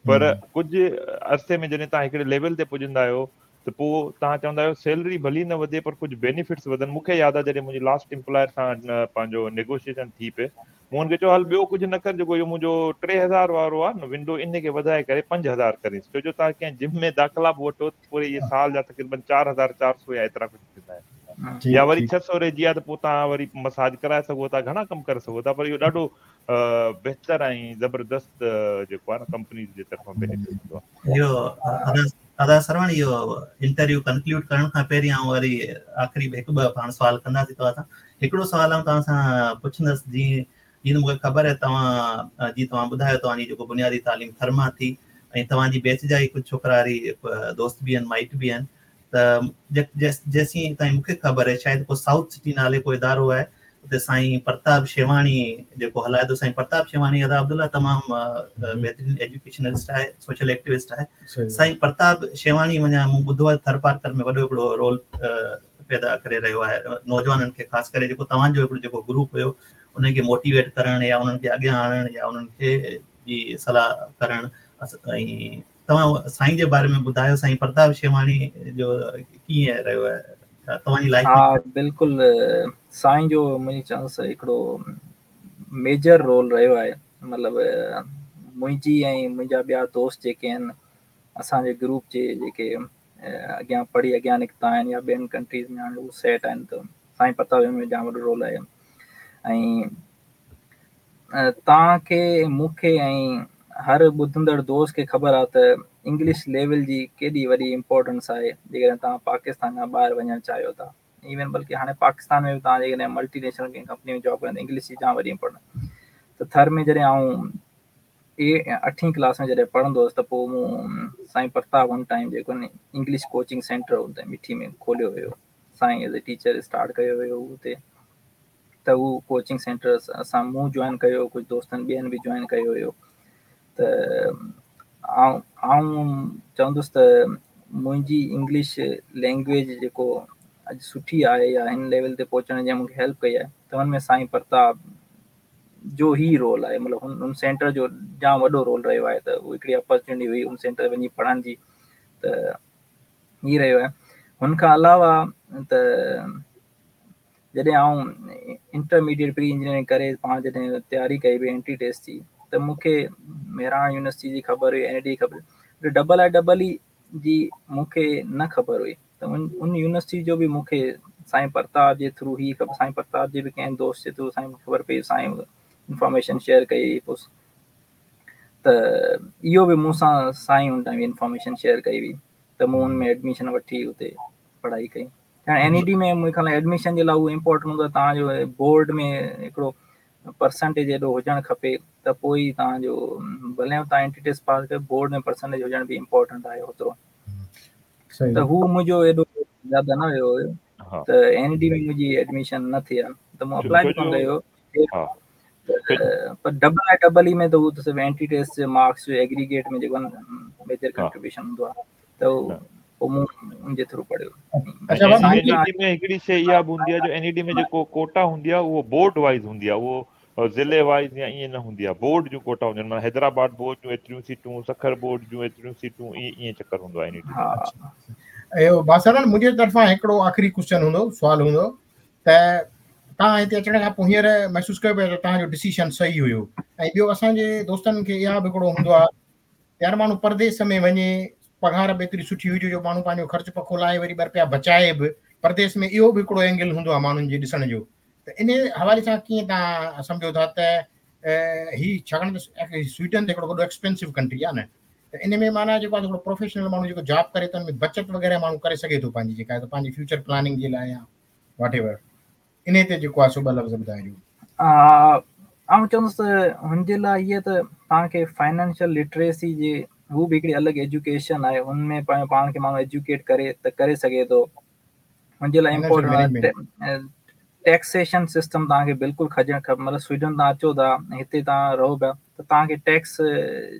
Speaker 1: پر ڪجهه عرصي ۾ جڏهن توهان هڪڙي ليول تي پڄندا آهيو ته پوءِ توهان چوندا آهيو سيلري ڀلي نه وڌي پر ڪجهه بينيفٽس وڌن. مون کي ياد آهي جڏهن منهنجي لاسٽ ايمپلائر سان پنهنجو نيگوشيئيشن ٿي پئي، مون هن کي چيو هل ٻيو ڪجهه نه ڪر، جيڪو اهو منهنجو ٽي هزار وارو آهي نه ونڊو ان کي وڌائي ڪري پنج هزار ڪريس، ڇو جو توهان ڪنهن جم ۾ داخلا به وٺو پوري اهي سال جا تقريبن چار هزار چار سؤ يا ايترا ڪجهه ٿيندا آهن. يا وري ڇهه سؤ رهجي آهي ته پوءِ توهان وري مساج ڪرائي سگهو ٿا، گهڻا ڪم ڪري سگهو ٿا. پر اهو ڏاڍو بهتر ۽ زبردست جيڪو آهي نه ڪمپني جي طرفان بينيفٽ ٿيندو آهي.
Speaker 2: اهو ادا سروڻ، اهو انٽرويو ڪنڪلوڊ ڪرڻ کان پهرين آئون وري آخري هڪ ٻه پاڻ سوال ڪنداسين توهان سان. هڪڙو سوال آئون توهان سان پڇندس، جيئن جيئن مون کي خبر آهي توهان جيئن توهان ٻڌايو توهان جي جيڪو بنيادي تعليم ٿر مان ٿي ۽ توهان جي بيچ جا ئي ڪجهه ڇوڪرا وري دوست به آهن، مائٽ به آهن. ته جيسين تائين مون کي خبر آهي شايد ڪو سائوٿ سٽي نالي ڪو ادارو آهي اتي سائين پرتاپ شيواڻي جيڪو هلائي ٿو. سائين پرتاپ شيواڻي ادا عبدالله تمام بهترين ايجوڪيشنلسٽ آهي، سوشل ايڪٽيوسٽ آهي. سائين پرتاپ شيواڻي وڃان مون ٻڌو آهي ٿر پارڪر ۾ وڏو هڪڙو رول پيدا ڪري رهيو آهي نوجوانن کي، خاص ڪري جيڪو توهان جو هڪڙو جيڪو گروپ هيو ان کي موٽيويٽ ڪرڻ يا انهن کي اڳيان آڻڻ يا انهن کي جي صلاح ڪرڻ. ۽ توهان سائين جي باري ۾ ٻڌايو، سائين پرتاپ شيواڻي جو ڪيئن رهيو آهي توهان جي لائيف؟
Speaker 3: ها بلڪل، سائين جو منهنجي چوندس هڪڙو ميجر رول رهيو آهي. مطلب منهنجي ۽ منهنجا ٻيا دوست جيڪي آهن اسان جي گروپ جي جيڪي اڳيان پڙهي اڳيان نڪتا آهن يا ٻين ڪنٽريز ۾ هاڻي هو سيٽ آهن، ته سائين پرتاپ ۾ جام وڏو رول آهي. ۽ توهان کي مون کي ۽ هر ٻڌندڙ دوست کي خبر آهي ته انگلش ليول جي ڪيڏي وڏي امپورٽنس آهي جيڪڏهن توهان پاڪستان کان ٻاهر وڃڻ چاهيو ٿا. ايون بلڪه هاڻي پاڪستان ۾ به توهان جيڪڏهن ملٽي نيشنل ڪنهن ڪمپني ۾ جاب ڪرڻ انگلش جي جام وڏي امپورٽنس. ته ٿر ۾ جڏهن آئون اٺين ڪلاس ۾ جڏهن پڙهندو هئس ته پوءِ مون سائين پرتاپ هن ٽائيم جيڪو انگلش ڪوچنگ سينٽر هتي مٺي ۾ کوليو هيو، سائين ايز اي ٽيچر اسٽارٽ ڪيو هيو هتي. ته اهو ڪوچنگ سينٽر اسان مون جوائن ڪيو، ڪجهه دوستن ٻين به جوائن ڪيو هيو. ته آئون آئون چوندس ته منهنجي انگلش لينگويج جيڪو اڄ سٺي آهي يا هن ليول تي پهچڻ جي مون کي هيلپ ڪئي آهي ته هن ۾ سائين پرتاپ جو ئي رول آهي. مطلب هن هن سينٽر جو جام وڏو رول رهيو آهي. ته اها هڪڙي اپرچونٽي هئي هن سينٽر وڃي پڙهڻ جي، ته هيءَ رهيو آهي. هن کان علاوه ته جڏهن آئون انٽرميڊيئيٽ پري انجنيئرنگ ڪري پاڻ جڏهن تياري ڪئي پئي انٽري ٽيسٽ جي، ته مون کي مهراڻ يونيورسٽي جي خبر هئي، اين اي ڊي جي خبر هئي، ڊبل I double اي جي مون کي نه خبر هئي. ته ان ان يونيورسٽي جو به مون کي سائين پرتاپ جي ٿرو ئي خبر، سائين پرتاپ جي به ڪنهن دوست جي ٿرو سائين خبر پئي، سائين انفارميشن شيئر ڪئي. پوءِ ته اهو به مون سان سائين ان ٽائيم انفارميشن شيئر ڪئي هئي ته مون ان ۾ ايڊميشن وٺي اتي پڙهائي ڪئي. اين اي ڊي ۾ مون خيال ايڊميشن جي لاءِ اهو امپورٽنٽ هوندو آهي توهان جو بورڊ ۾ هڪڙو پرسنٽيج ايڏو هجڻ کپي ته پوءِ ئي توهان جو ڀلي توهان انٽري ٽيسٽ پاس ڪيو بورڊ ۾ پرسنٽيج هجڻ به امپورٽنٽ آهي اوترو. ته هو منهنجو ايڏو زياده نه ويو هيو ته اين اي ڊي ۾ منهنجي ايڊميشن نه ٿي آهي ته مون اپلائي به ڪونه ڪيو. پر ڊبل I double اي ۾ ته هو ته صرف انٽري ٽيسٽ جي مارڪس جو ايگريگيٽ ۾ جيڪو ميجر ڪنٽريبيوشن هوندو آهي ته پوءِ مون ان جي ٿرو پڙهيو.
Speaker 1: اڇا اين اي ڊي ۾ هڪڙي شيءِ اها به هوندي آهي جو اين اي ڊي ۾ جيڪو ڪوٽا هوندي آهي اهو بورڊ وائيز هوندي آهي، اهو ضلعي وائيز يا ائين نه هوندي آهي. بورڊ جون ڪوٽا هونديون آهن، معنيٰ حيدرآباد بورڊ جون ايتريون سيٽون، سکر بورڊ جون ايتريون سيٽون، ائين ائين چڪر هوندو آهي اين اي ڊي.
Speaker 4: ها اهو باسرن منهنجي طرفان هڪڙو آخري ڪوئسچن هوندو، سوال هوندو ته توهان هتي اچڻ کان پوءِ هينئر محسوس ڪيو پيا ته توهان جو ڊسيشن صحيح هيو؟ ۽ ٻيو اسان جي دوستن کي اها به هڪڙو هوندو آهي يار ماڻهو پرديس ۾ وڃي پگهار به ايتري سٺي هجي جو ماڻهو پنهنجو خرچ پکو لاهي وري ٻه رپيا بچائي به پرديس ۾، اهو به هڪڙو اينگل هوندو آهي ماڻهن جي ڏسڻ جو. ته ان حوالي سان ڪيئن توهان سمجهو ٿا ته هي ڇاڪاڻ ته سوئيڊن ته هڪڙو وڏو ايڪسپينسو ڪنٽري آهي نه، ته ان ۾ معنيٰ جيڪو آهي هڪڙو پروفيشنل ماڻهو جيڪو جاب ڪري ٿو ان ۾ بچت وغيره ماڻهو ڪري سگهي ٿو پنهنجي جيڪا آهي پنهنجي فيوچر پلاننگ جي لاءِ يا واٽ ايور، ان تي جيڪو آهي سو ٻه لفظ ٻڌائجو.
Speaker 3: آئون چوندس ته هن جي لاءِ اها ته توهان کي فائنانشل لٽريسي جي هو به هڪڙي الڳ ايجوڪيشن آهي، هن ۾ پنهنجو پاڻ کي ماڻهو ايجوڪيٽ ڪري ته ڪري سگهي ٿو. هن جي لاءِ امپورٽنٽ آهي ٽيڪسيشن سسٽم توهان کي بلڪل کجڻ کپي. مطلب سوئيڊن توهان اچو ٿا هتي توهان رهو پيا ته توهان کي ٽيڪس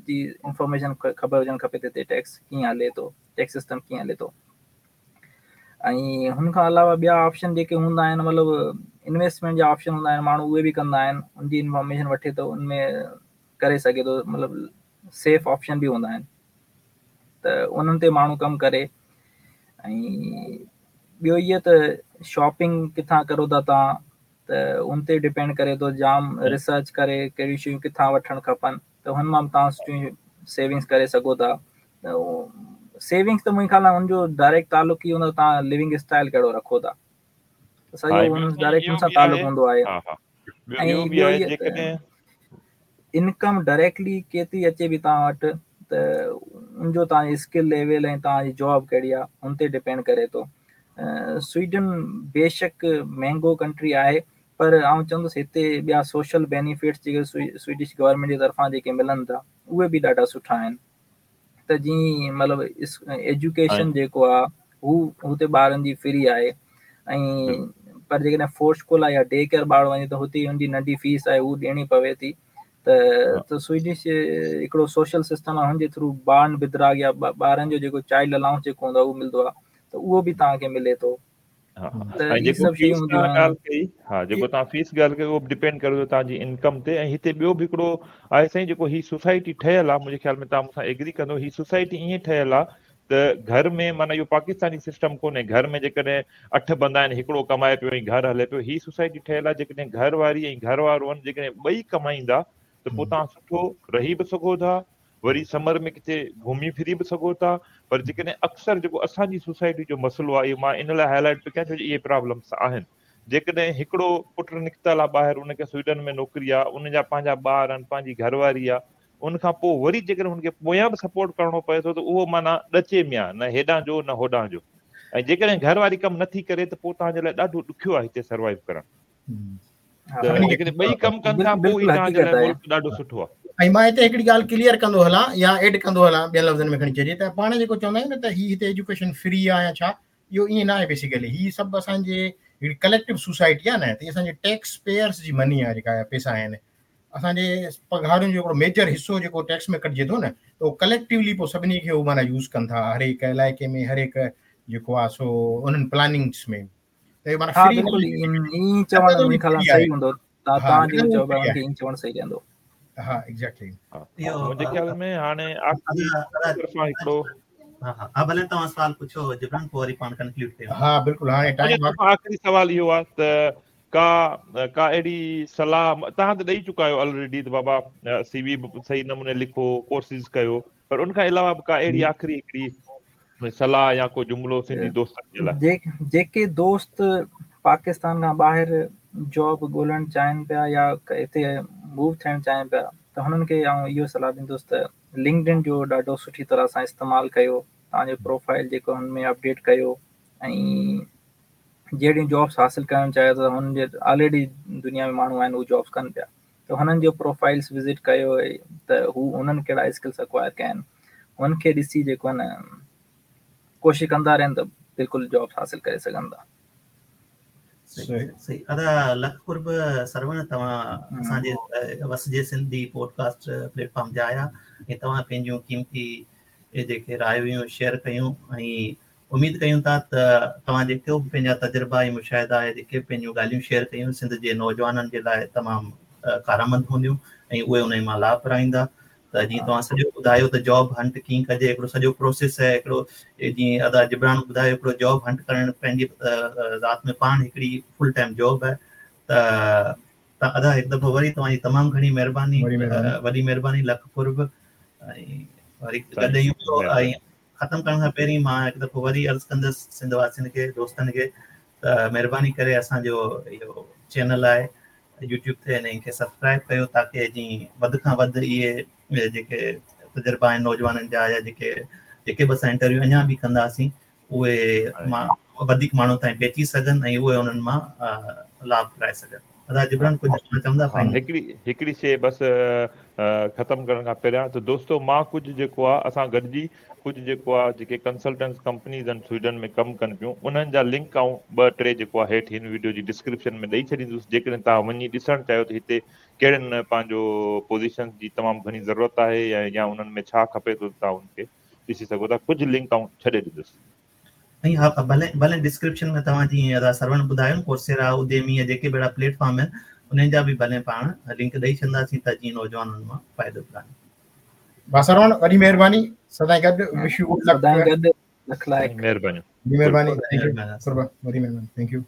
Speaker 3: جي انفارميشن خبر هجڻ کپي ته هتي ٽيڪس ڪيئن هلي ٿو، ٽيڪس سسٽم ڪيئن هلي ٿو. ۽ هن کان علاوه ٻيا آپشن جيڪي هوندا آهن مطلب انويسٽمينٽ جا آپشن هوندا آهن، ماڻهو اهي به ڪندا آهن، ان جي انفارميشن وٺي ٿو ان ۾ ڪري سگهي ٿو، مطلب سيف آپشن به هوندا آهن ته انهن تي ماڻهو ڪم ڪري. ۽ ٻيو اهو ته شاپنگ ڪٿان ڪرو ٿا توهان ته ان تي ڊپينڊ ڪري ٿو، جام ريسرچ ڪري ڪهڙيون شيون ڪٿان وٺڻ کپن ته هن مان به توهان سٺيون سيونگس ڪري سگهو ٿا. ته سيونگس ته منهنجي خيال ۾ هن جو ڊائريڪٽ تعلق ئي هوندو توهان لونگ اسٽائل ڪهڙو رکو ٿا، سڄو هن ڊائريڪٽ هن سان تعلق هوندو آهي.
Speaker 1: ۽ ٻيو جيڪڏهن
Speaker 3: انڪم ڊائريڪٽلي ڪيتري اچي به توهان وٽ ته ان جو توهان جي اسڪل ليول ۽ توهان جي جاب ڪهڙي آهي هن تي ڊپينڊ ڪري ٿو. سوئيڊن بيشڪ مهانگو ڪنٽري آهي پر آئون چوندس هتي ٻيا سوشل بينيفٽس جيڪي سوئيڊش گورنمينٽ جي طرفان جيڪي ملن ٿا اهي به ڏاڍا سٺا آهن. ته جيئن مطلب ايجوڪيشن جيڪو آهي هو هتي ٻارن جي فري آهي، ۽ پر جيڪڏهن فورسڪولا يا ڊي ڪيئر ٻار وڃي ته هتي هن جي ننڍي فيس آهي هو ڏيڻي پوي ٿي. ته ته سوئيڊش هڪڙو سوشل سسٽم آهي هن جي ٿرو بارن بدراگ يا ٻارن جو جيڪو چائلڊ الائونس جيڪو هوندو آهي اهو ملندو آهي ته اهو به توهان کي ملي ٿو.
Speaker 1: ۽ جيڪو فيس ڳالهه ڪئي، ها جيڪو توهان فيس ڳالهه ڪئي اهو به ڊپينڊ ڪري ٿو توهان جي انڪم تي. ۽ هتي ٻيو به هڪڙو آهي سائين جيڪو هي سوسائٽي ٺهيل آهي، منهنجي خيال ۾ توهان مون سان ايگري ڪندو، هي سوسائٽي ائين ٺهيل آهي ته گهر ۾ معنيٰ اهو پاڪستاني سسٽم ڪونهي، گهر ۾ جيڪڏهن اٺ بندا آهن هڪڙو ڪمائي پيو ۽ گهر هلي پيو. هي سوسائٽي ٺهيل آهي جيڪڏهن گهر واري ۽ گهر وارو آهن جيڪڏهن ٻئي ڪمائيندا ته پوءِ توهان سٺو رهي به سگهو ٿا، وري سمر ۾ ڪٿي گهمي ڦري به سگهو ٿا. پر جيڪڏهن اڪثر جيڪو اسان جي سوسائٽي جو مسئلو آهي اهو مان ان لاءِ هاءِ لائيٽ پيو ڪيان ڇو جو اهي پرابلمس آهن. جيڪڏهن هڪڙو پٽ نڪتل آهي ٻاهر، ان کي سوئيڊن ۾ نوڪري آهي، ان جا پنهنجا ٻار آهن، پنهنجي گهرواري آهي، ان کان پوءِ وري جيڪڏهن هن کي پويان به سپورٽ ڪرڻو پئي ٿو ته اهو معنيٰ ڏچي ۾ آهي، نه هيڏان جو نه هوڏان جو. ۽ جيڪڏهن گهرواري ڪم نٿي ڪري ته پوءِ توهان جي لاءِ ڏاڍو ڏکيو آهي هتي سروائيو ڪرڻ. ته جيڪڏهن ٻئي ڪم ڪن ٿا پوءِ ئي توهان جي لاءِ ملڪ ڏاڍو سٺو آهي.
Speaker 4: ۽ مان هتي هڪڙي ڳالهه ڪليئر ڪندو هلان يا ايڊ ڪندو هلان، ٻين لفظن ۾ کڻي چئجي ته پاڻ جيڪو چوندا آهيون نه ته هي هتي ايجوڪيشن فري آهي يا ڇا، اهو ائين نه آهي. بيسيڪلي هي سڀ اسان جي هڪڙي ڪليڪٽو سوسائٽي آهي نه، ته اسان جي ٽيڪس پيئرس جي مني آهي جيڪا پئسا آهن، اسان جي پگهارن جو هڪڙو ميجر حصو جيڪو ٽيڪس ۾ ڪٽجي ٿو نه ته اهو ڪليڪٽولي پوءِ سڀني کي اهو معنيٰ يوز ڪن ٿا هر هڪ علائقي ۾ هر هڪ جيڪو آهي سو انهن پلاننگس ۾. ته اهو معنيٰ فري
Speaker 3: بلڪل ائين چوڻ منهنجي خيال سان صحيح هوندو، توهان جيڪو چئو پيا ان کي ائين چوڻ صحيح رهندو.
Speaker 4: ها ايگزيڪٽلي.
Speaker 1: منهنجي خيال ۾ هاڻي آخري طرفان هڪڙو
Speaker 2: ها ها ڀلي توهان سوال پڇو جبران، پوءِ وري پاڻ ڪنڪلوڊ ڪيون.
Speaker 4: ها بلڪل، هاڻي ٽائيم
Speaker 1: آخري سوال اهو آهي ته ڪا ڪا اهڙي صلاح توهان ته ڏيئي چڪا آهيو آلريڊي ته بابا سي وي به صحيح نموني لکو، ڪورسز ڪيو، پر ان کان علاوه به ڪا اهڙي آخري هڪڙي صلاح يا ڪو جملو سنڌي دوستن جي لاءِ؟
Speaker 3: جيڪي دوست پاڪستان کان ٻاهر جاب ڳولهڻ چاهين پيا يا هتي موو ٿيڻ چاهين پيا ته هنن کي آئون اهو صلاح ڏيندس ته لنڪڊ ان جو ڏاڍو سٺي طرح سان استعمال ڪيو، توهان جو پروفائل جيڪو هن ۾ اپڊيٽ ڪيو ۽ جهڙيون جابس حاصل ڪرڻ چاهيو ٿا هن جي آلريڊي دنيا ۾ ماڻهو آهن اهي جابس ڪن پيا ته هنن جو پروفائلس وزٽ ڪيو ته هو انهن ڪهڙا اسڪلس اڪوائر ڪيا آهن هن کي ڏسي جيڪو آهي نه ڪوشش ڪندا رهن ته بلڪل جابس حاصل ڪري سگهن ٿا.
Speaker 2: صحيح صحيح ادا لک قرب سروڻ توهان اسان جي وسجي سنڌي پوڊڪاسٽ پليٽ فارم تي آيا ۽ توهان پنهنجون قيمتي جيڪي رايون شيئر ڪيون ۽ اميد ڪيون ٿا ته توهان جيڪي به پنهنجا تجربا ۽ مشاهدا ۽ جيڪي به پنهنجون ڳالهيون شيئر ڪيون سنڌ جي نوجوانن جي لاء تمام ڪارآمد هونديون ۽ اهي انهي مان لاڀ پرائيندا ته جيئن توهان سڄو ٻڌايو ته جاب هنٽ ڪيئن ڪجي هڪڙو سڄو پروسيس آهي هڪڙو جيئن ادا جبران ٻڌايو هڪڙو جاب هنٽ ڪرڻ پنهنجي ذات ۾ پاڻ هڪڙي فل ٽائيم جاب آهي ته ته ادا هڪ دفعو وري توهان جي تمام گهڻي مهرباني وڏي مهرباني لک قرب ۽ وري گڏ ۽ ختم ڪرڻ کان پهرين مان هڪ دفعو وري عرض ڪندس سنڌ واسين کي دوستن کي ته مهرباني ڪري اسان جو اهو چينل آهي يوٽيوب تي ان کي سبسڪرائب ڪيو تاڪه جي وڌ کان وڌ اهي جيڪي تجربا آهن نوجوانن جا يا جيڪي جيڪي به اسان انٽرويو اڃا به ڪنداسين اهي مان وڌيڪ ماڻهن تائين پهچي سگهن ۽ اهي انهن مان لاڀ پرائي سگهن. ادا جبران ڪجهه چوندا
Speaker 1: فائنل؟ هڪڙي هڪڙي شيء بس ختم ڪرڻ کان پهريان ته دوستو مان ڪجهه جيڪو آ اسان گڏجي ڪجهه جيڪو آ جيڪي ڪنسلٽنٽس ڪمپنيز آهن سوئيڊن ۾ ڪم ڪن پيون انهن جا لنڪ آئون ٻه ٽي جيڪو آ هيٺ هن ويڊيو جي ڊسڪرپشن ۾ ڏئي ڇڏيندس جيڪڏهن توهان وڃي ڏسڻ چاهيو ته هتي ڪهڙن پنهنجو پوزيشنز جي تمام گهڻي ضرورت آهي يا انهن ۾ ڇا کپي ٿو توهان ان کي ڏسي سگهو ٿا ڪجهه لنڪ آئون ڇڏي ڏيندس.
Speaker 2: ۽ ها ڀلي ڀلي ڊسڪرپشن ۾ توهان جيئن ادا سروڻ ٻڌايو نه ڪورسيرا اوديمي يا جيڪي به اهڙا پليٽ فارم آهن انهن جا به ڀلي پاڻ لنڪ ڏئي ڇڏنداسين ته جيئن نوجوان انهن مان فائدو پرائين.
Speaker 4: ڀا سروڻ وڏي مهرباني سدائين گڏ وش you good
Speaker 3: لڪ سدائين گڏ لک لائق
Speaker 1: مهرباني
Speaker 4: وڏي مهرباني thank you قرب وڏي مهرباني thank you.